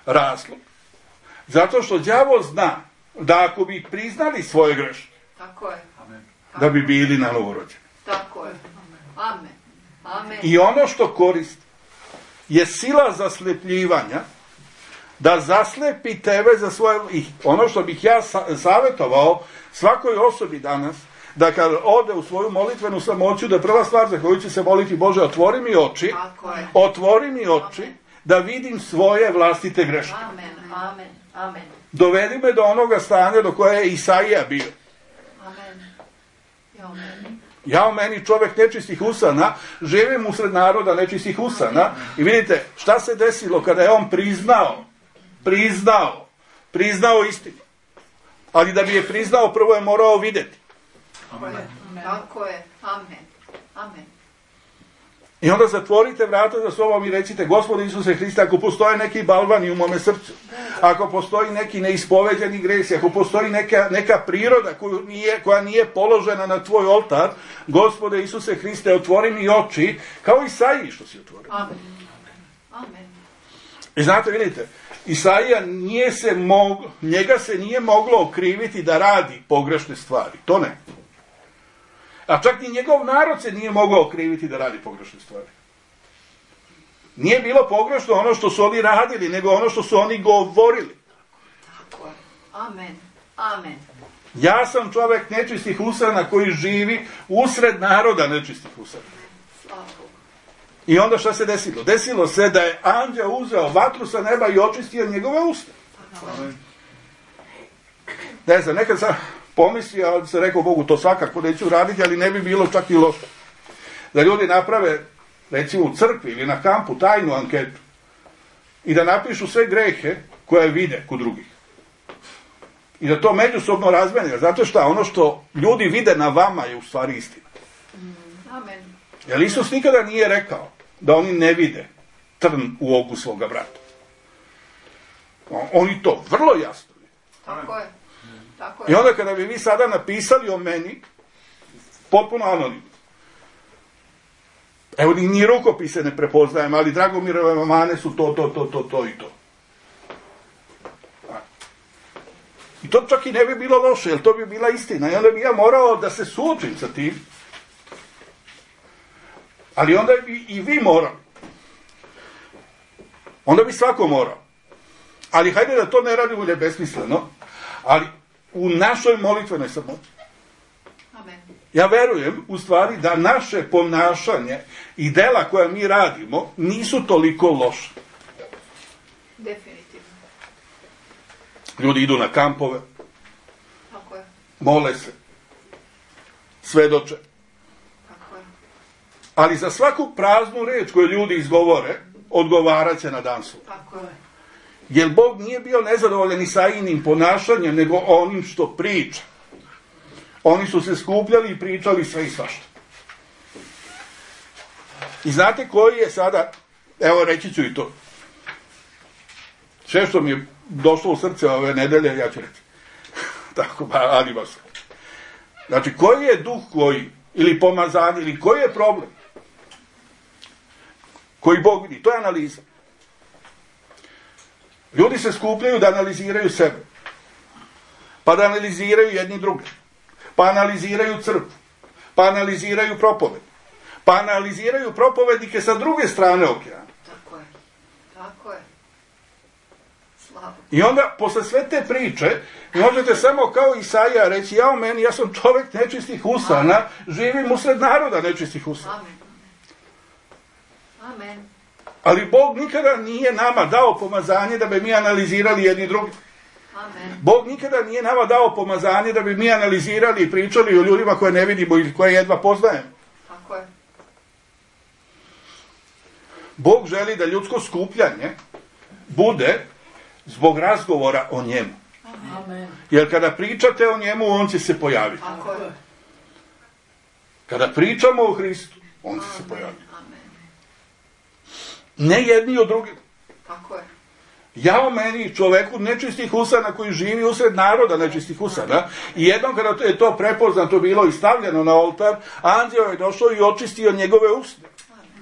Razlog. Zato što đavo zna da ako bi priznali svoje greške,
Tako je.
Amen.
da bi bili na novorođeni.
Tako je. Amen. Amen.
I ono što koristi je sila zaslepljivanja da zaslepi tebe za svoje... I ono što bih ja savjetovao svakoj osobi danas, da kad ode u svoju molitvenu samoću, da prva stvar za koju će se moliti, Bože, otvori mi oči,
Tako je.
otvori mi oči, da vidim svoje vlastite greške.
Amen. Amen. Amen.
Dovedi me do onoga stanja do koje je Isaija bio.
Amen. Amen.
Ja, meni čovjek nečistih usana, živim usred naroda nečistih usana, i vidite šta se desilo kada je on priznao istinu. Ali da bi je priznao, prvo je morao vidjeti.
Amen. Tako je. Amen. Amen.
I onda zatvorite vrata za sobom i recite, Gospode Isuse Hriste, ako postoje neki balvani u mome srcu, ako postoji neki neispoveđeni gresi, ako postoji neka priroda koja nije položena na tvoj oltar, Gospode Isuse Hriste, otvori mi oči, kao Isaiji što si otvorio.
Amen. Amen.
I znate, vidite, Isaija njega se nije moglo okriviti da radi pogrešne stvari. To ne. A čak ni njegov narod se nije mogao okriviti da radi pogrešne stvari. Nije bilo pogrešno ono što su oni radili, nego ono što su oni govorili.
Tako je. Amen. Amen.
Ja sam čovjek nečistih usana koji živi usred naroda nečistih usana.
Slava Bogu.
I onda šta se desilo? Desilo se da je anđeo uzeo vatru sa neba i očistio njegove usta.
Amen.
Ne znam, nekad sam pomislio, ali se rekao Bogu, to svakako neću raditi, ali ne bi bilo čak i loše. Da ljudi naprave, recimo u crkvi ili na kampu, tajnu anketu i da napišu sve grehe koje vide kod drugih. I da to međusobno razmene. Zato što ono što ljudi vide na vama je u stvari istina.
Amen.
Jer Isus nikada nije rekao da oni ne vide trn u oku svoga brata. Oni to vrlo jasno vide.
Tako je. Tako
I
je.
onda kada bi vi sada napisali o meni, potpuno anonimno. Evo, ni rukopise ne prepoznajem, ali Dragomirove mane su to i to. I to čak i ne bi bilo loše, jer to bi bila istina. I onda bi ja morao da se suočim sa tim. Ali onda bi i vi morali. Onda bi svako morao. Ali hajde da to ne radimo besmisleno, ali u našoj molitvenoj samoći.
Amen.
Ja verujem, u stvari, da naše ponašanje i dela koja mi radimo nisu toliko loše.
Definitivno.
Ljudi idu na kampove,
Tako je.
mole se, svedoče.
Tako je.
Ali za svaku praznu reč koju ljudi izgovore, odgovarat će na dan suda.
Tako je.
Jer Bog nije bio nezadovoljan Isaijinim ponašanjem, nego onim što priča. Oni su se skupljali i pričali sve i svašta. I znate koji je sada, evo reći ću i to. Sve što mi je došlo u srce ove nedelje, ja ću reći. Tako, ali vas. Znači, koji je duh koji, ili pomazanje, ili koji je problem koji Bog vidi? To je analiza. Ljudi se skupljaju da analiziraju sebe. Pa da analiziraju jedni druge. Pa analiziraju crkvu. Pa analiziraju propoved. Pa analiziraju propovednike sa druge strane okeana.
Tako je. Tako je. Slavo.
I onda, posle sve te priče, možete samo kao Isaija reći, ja sam čovjek nečistih usana, živim usred naroda nečistih usana.
Amen. Amen.
Ali Bog nikada nije nama dao pomazanje da bi mi analizirali jedni drugi.
Amen.
Bog nikada nije nama dao pomazanje da bi mi analizirali i pričali o ljudima koje ne vidimo ili koje jedva poznajemo.
Tako je.
Bog želi da ljudsko skupljanje bude zbog razgovora o njemu.
Amen.
Jer kada pričate o njemu, on će se pojaviti.
Tako je.
Kada pričamo o Hristu, on će se pojaviti.
Amen.
Ne jedni od drugih.
Tako je.
Ja o meni, čoveku nečistih usana koji živi usred naroda nečistih usana, i jednom kada je to prepoznato bilo i stavljeno na oltar, anđeo je došao i očistio njegove usne.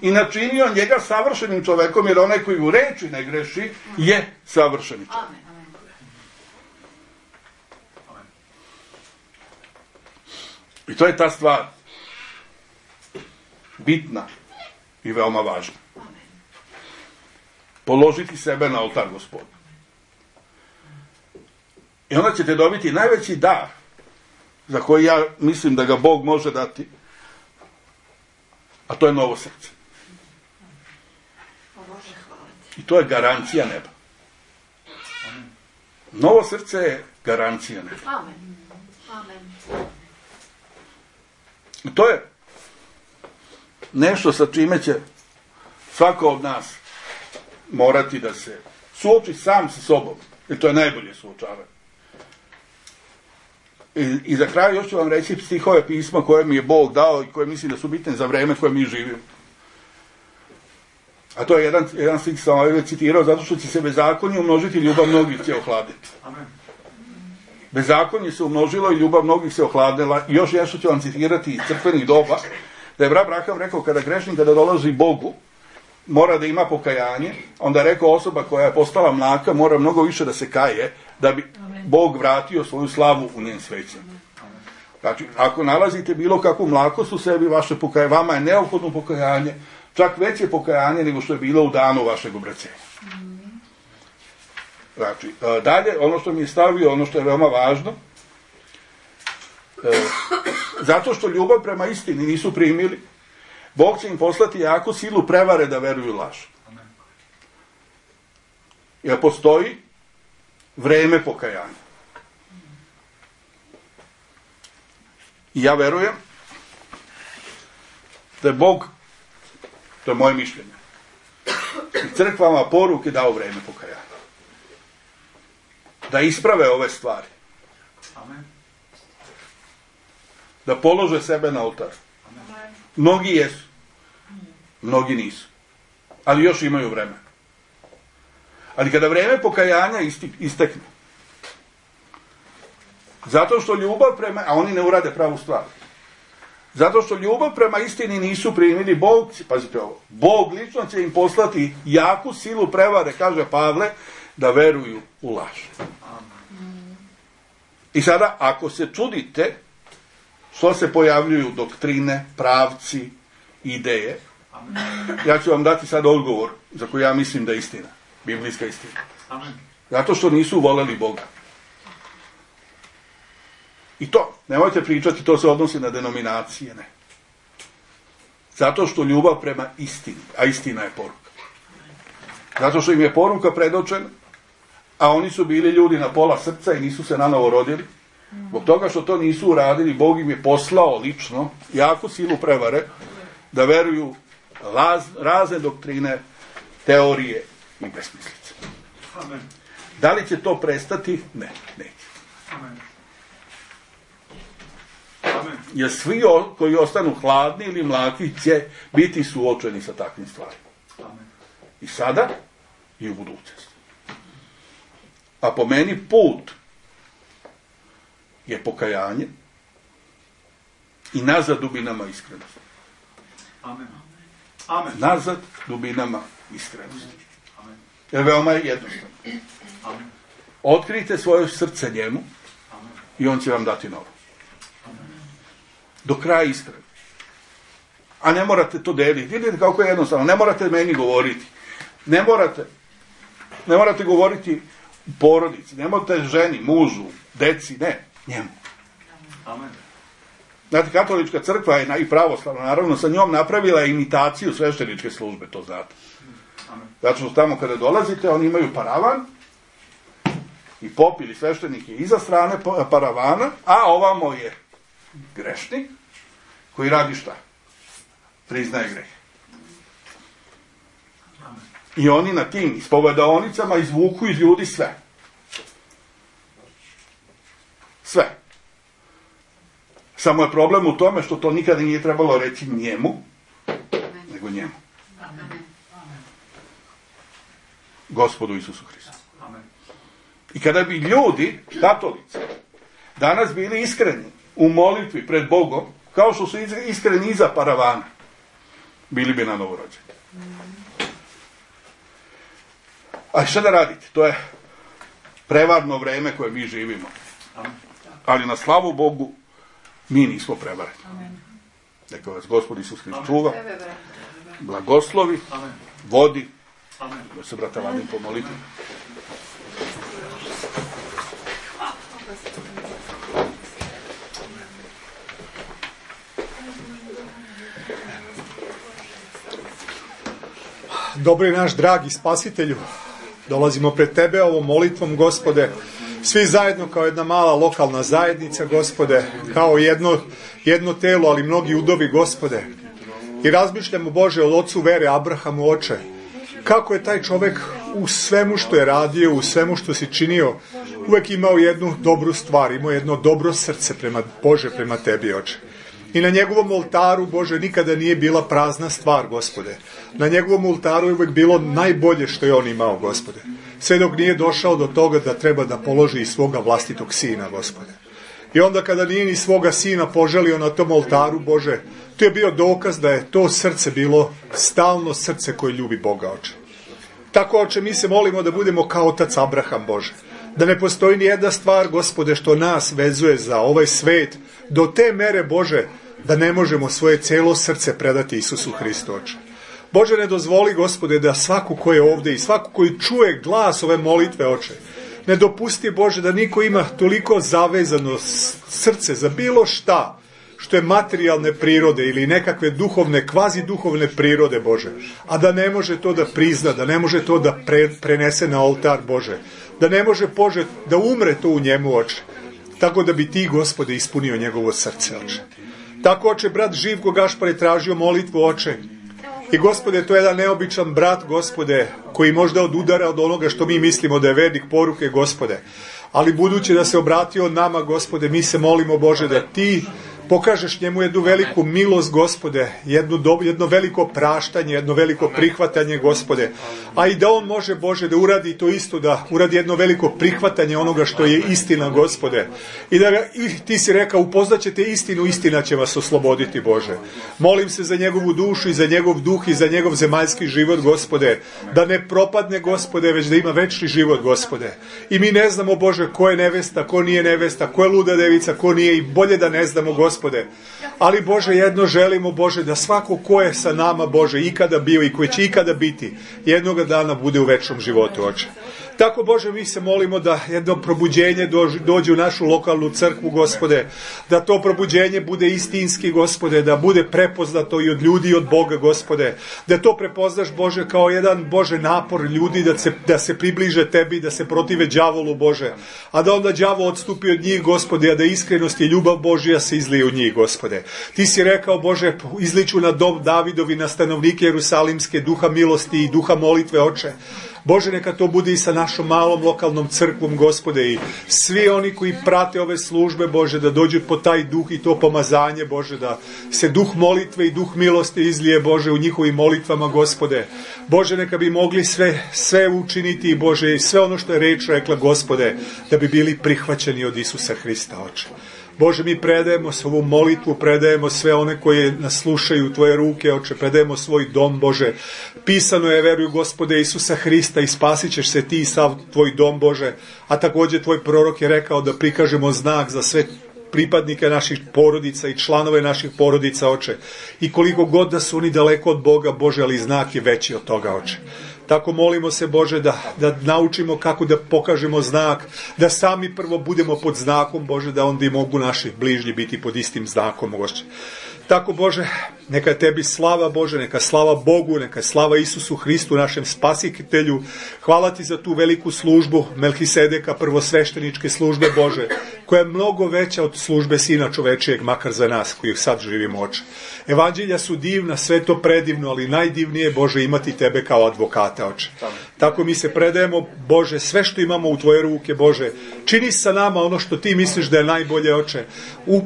I načinio njega savršenim čovekom, jer onaj koji u reči ne greši je savršeni čovek.
Amen.
I to je ta stvar bitna i veoma važna. Položiti sebe na oltar Gospoda. I onda ćete dobiti najveći dar za koji ja mislim da ga Bog može dati, a to je novo srce. I to je garancija neba. Novo srce je garancija neba.
Amen. Amen.
I to je nešto sa čime će svako od nas morati da se suoči sam sa sobom. Jer to je najbolje suočavanje. I za kraj još ću vam reći stihove pisma koje mi je Bog dao i koje mislim da su bitne za vreme koje mi živimo. A to je jedan stih sam ovaj citirao, zato što će se bezakonje umnožiti, ljubav mnogih će ohladiti.
Amen.
Bezakonje se umnožilo i ljubav mnogih se ohladila. I još nešto ću vam citirati iz crkvenih doba, da je brat Braham rekao, kada grešnik, kada dolazi Bogu, mora da ima pokajanje, onda je rekao, osoba koja je postala mlaka mora mnogo više da se kaje, da bi Bog vratio svoju slavu u njen sveće. Znači, ako nalazite bilo kakvu mlakost u sebi, vama je neophodno pokajanje, čak veće pokajanje nego što je bilo u danu vašeg obraćenja. Znači, dalje, ono što mi je stavio, ono što je veoma važno, zato što ljubav prema istini nisu primili, Bog će im poslati jaku silu prevare da veruju laž. Jer postoji vreme pokajanja. I ja verujem da je Bog, to je moje mišljenje, i crkvama poruke dao vreme pokajanja. Da isprave ove stvari.
Amen.
Da polože sebe na oltar. Mnogi jesu, mnogi nisu. Ali još imaju vreme. Ali kada vreme pokajanja istekne, zato što ljubav prema, a oni ne urade pravu stvar, zato što ljubav prema istini nisu primili, Bog, pazite ovo, Bog lično će im poslati jaku silu prevare, kaže Pavle, da veruju u laž. I sada, ako se čudite što se pojavljuju doktrine, pravci, ideje, ja ću vam dati sad odgovor za koji ja mislim da je istina, biblijska istina.
Amen.
Zato što nisu voleli Boga. I to, nemojte pričati, to se odnosi na denominacije, ne. Zato što ljubav prema istini, a istina je poruka. Zato što im je poruka predočena, a oni su bili ljudi na pola srca i nisu se nanovo rodili. Zbog toga što to nisu uradili, Bog im je poslao lično jaku silu prevare da veruju razne doktrine, teorije i besmislice.
Amen.
Da li će to prestati? Ne, neće.
Amen. Amen.
Jer svi koji ostanu hladni ili mlaki će biti suočeni sa takvim stvarima.
Amen.
I sada i u budućnosti. A po meni put je pokajanje i nazad dubinama iskrenosti.
Amen. Amen.
Nazad dubinama iskrenosti.
Amen.
Jer veoma je jednostavno.
Amen.
Otkrijte svoje srce njemu
Amen.
i on će vam dati novo. Do kraja iskreno. A ne morate to deliti. Vidite kako je jednostavno. Ne morate meni govoriti. Ne morate govoriti porodici. Ne morate ženi, mužu, deci. Ne. Njemu.
Amen.
Znate, katolička crkva je i pravoslavna, naravno, sa njom napravila imitaciju svešteničke službe, to znate. Zato što tamo kada dolazite, oni imaju paravan i pop ili sveštenik je iza strane paravana, a ovamo je grešnik koji radi šta? Priznaje greh. I oni na tim ispovedaonicama izvuku iz ljudi sve. Sve. Samo je problem u tome što to nikada nije trebalo reći njemu, nego njemu. Gospodu Isusu Hristu. I kada bi ljudi, katolici, danas bili iskreni u molitvi pred Bogom, kao što su iskreni iza paravana, bili bi na novorođeni. A šta da radite? To je prevarno vreme koje mi živimo. Ali na slavu Bogu mi nismo prevareni. Neka vas Gospod Isus Hrist čuva, blagoslovi, vodi. Da se, brata, vadim pomoliti.
Dobri naš dragi Spasitelju, dolazimo pred Tebe ovom molitvom, Gospode, svi zajedno kao jedna mala lokalna zajednica, Gospode, kao jedno telo, ali mnogi udovi, Gospode. I razmišljamo, Bože, o ocu vere Abrahamu, Oče, kako je taj čovjek u svemu što je radio, u svemu što si činio, uvek imao jednu dobru stvar, imao jedno dobro srce prema Bože, prema Tebi, Oče. I na njegovom oltaru, Bože, nikada nije bila prazna stvar, Gospode. Na njegovom oltaru je uvek bilo najbolje što je on imao, Gospode. Sve dok nije došao do toga da treba da položi i svoga vlastitog sina, Gospode. I onda kada nije ni svoga sina poželio na tom oltaru, Bože, to je bio dokaz da je to srce bilo stalno srce koje ljubi Boga, Oče. Tako, Oče, mi se molimo da budemo kao otac Abraham, Bože. Da ne postoji ni jedna stvar, Gospode, što nas vezuje za ovaj svet, do te mere, Bože, da ne možemo svoje cijelo srce predati Isusu Hristu, Oče. Bože, ne dozvoli, Gospode, da svako ko je ovdje i svako koji čuje glas ove molitve, Oče, ne dopusti, Bože, da niko ima toliko zavezano srce za bilo šta što je materijalne prirode ili nekakve duhovne, kvazi duhovne prirode, Bože, a da ne može to da prizna, da ne može to da prenese na oltar, Bože, da ne može, Bože, da umre to u njemu, Oče, tako da bi Ti, Gospode, ispunio njegovo srce, Oče. Tako, Oče, brat Živko Gašpar je tražio molitvu, Oče, i, Gospode, to je jedan neobičan brat, Gospode, koji možda odudara od onoga što mi mislimo da je vernik poruke, Gospode, ali budući da se obratio nama, Gospode, mi se molimo, Bože, da Ti pokažeš njemu jednu veliku milost, Gospode, jedno veliko praštanje, jedno veliko prihvatanje, Gospode, a i da on može, Bože, da uradi to isto, da uradi jedno veliko prihvatanje onoga što je istina, Gospode, i da Ti si rekao, upoznaćete istinu, istina će vas osloboditi, Bože. Molim se za njegovu dušu i za njegov duh i za njegov zemaljski život, Gospode, da ne propadne, Gospode, već da ima večni život, Gospode. I mi ne znamo, Bože, ko je nevesta, ko nije nevesta, ko je luda devica, ko nije, i bolje da ne znamo, Gospode. Ali, Bože, jedno želimo, Bože, da svako ko je sa nama, Bože, ikada bio i koji će ikada biti, jednoga dana bude u večnom životu, Oče. Tako, Bože, mi se molimo da jedno probuđenje dođe u našu lokalnu crkvu, Gospode, da to probuđenje bude istinski, Gospode, da bude prepoznato i od ljudi i od Boga, Gospode, da to prepoznaš, Bože, kao jedan, Bože, napor ljudi da se približe Tebi, da se protive đavolu, Bože, a da onda đavo odstupi od njih, Gospode, a da iskrenost i ljubav Božja se izlije u njih, Gospode. Ti si rekao, Bože, izliču na dom Davidovi, na stanovnike Jerusalimske, duha milosti i duha molitve, Oče. Bože, neka to bude i sa našom malom lokalnom crkvom, Gospode, i svi oni koji prate ove službe, Bože, da dođu po taj duh i to pomazanje, Bože, da se duh molitve i duh milosti izlije, Bože, u njihovim molitvama, Gospode. Bože, neka bi mogli sve učiniti, Bože, i sve ono što je reč rekla, Gospode, da bi bili prihvaćeni od Isusa Hrista, Oče. Bože, mi predajemo ovu molitvu, predajemo sve one koje nas slušaju u Tvoje ruke, Oče, predajemo svoj dom, Bože. Pisano je, veruju, Gospode Isusa Hrista, i spasit ćeš se Ti i sav Tvoj dom, Bože. A također Tvoj prorok je rekao da prikažemo znak za sve pripadnike naših porodica i članove naših porodica, Oče. I koliko god da su oni daleko od Boga, Bože, ali znak je veći od toga, Oče. Tako molimo se, Bože, da naučimo kako da pokažemo znak, da sami prvo budemo pod znakom, Bože, da onda i mogu naši bližnji biti pod istim znakom, Bože. Tako, Bože, neka tebi slava, Bože, neka slava Bogu, neka slava Isusu Hristu, našem spasitelju. Hvala ti za tu veliku službu Melhisedeka, prvosvešteničke službe, Bože, koja je mnogo veća od službe Sina čovečijeg, makar za nas koji sad živimo, Oče. Evanđelja su divna, sve to predivno, ali najdivnije, Bože, imati tebe kao advokata, Oče. Tako mi se predajemo, Bože, sve što imamo u tvoje ruke, Bože, čini sa nama ono što ti misliš da je najbolje, Oče.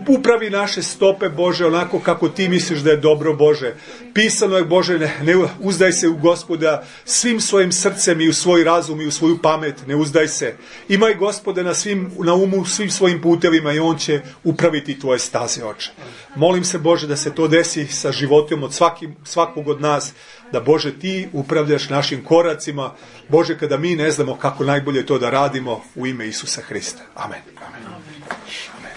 Upravi naše stope, Bože, onako kako ti misliš da je dobro, Bože. Pisano je, Bože, ne uzdaj se u Gospoda svim svojim srcem i u svoj razum i u svoju pamet, ne uzdaj se. Imaj Gospoda na umu svim svojim putevima i on će upraviti tvoje staze, Oče. Molim se, Bože, da se to desi sa životom od svakog od nas, da, Bože, ti upravljaš našim koracima, Bože, kada mi ne znamo kako najbolje to da radimo, u ime Isusa Hrista. Amen. Amen. Amen.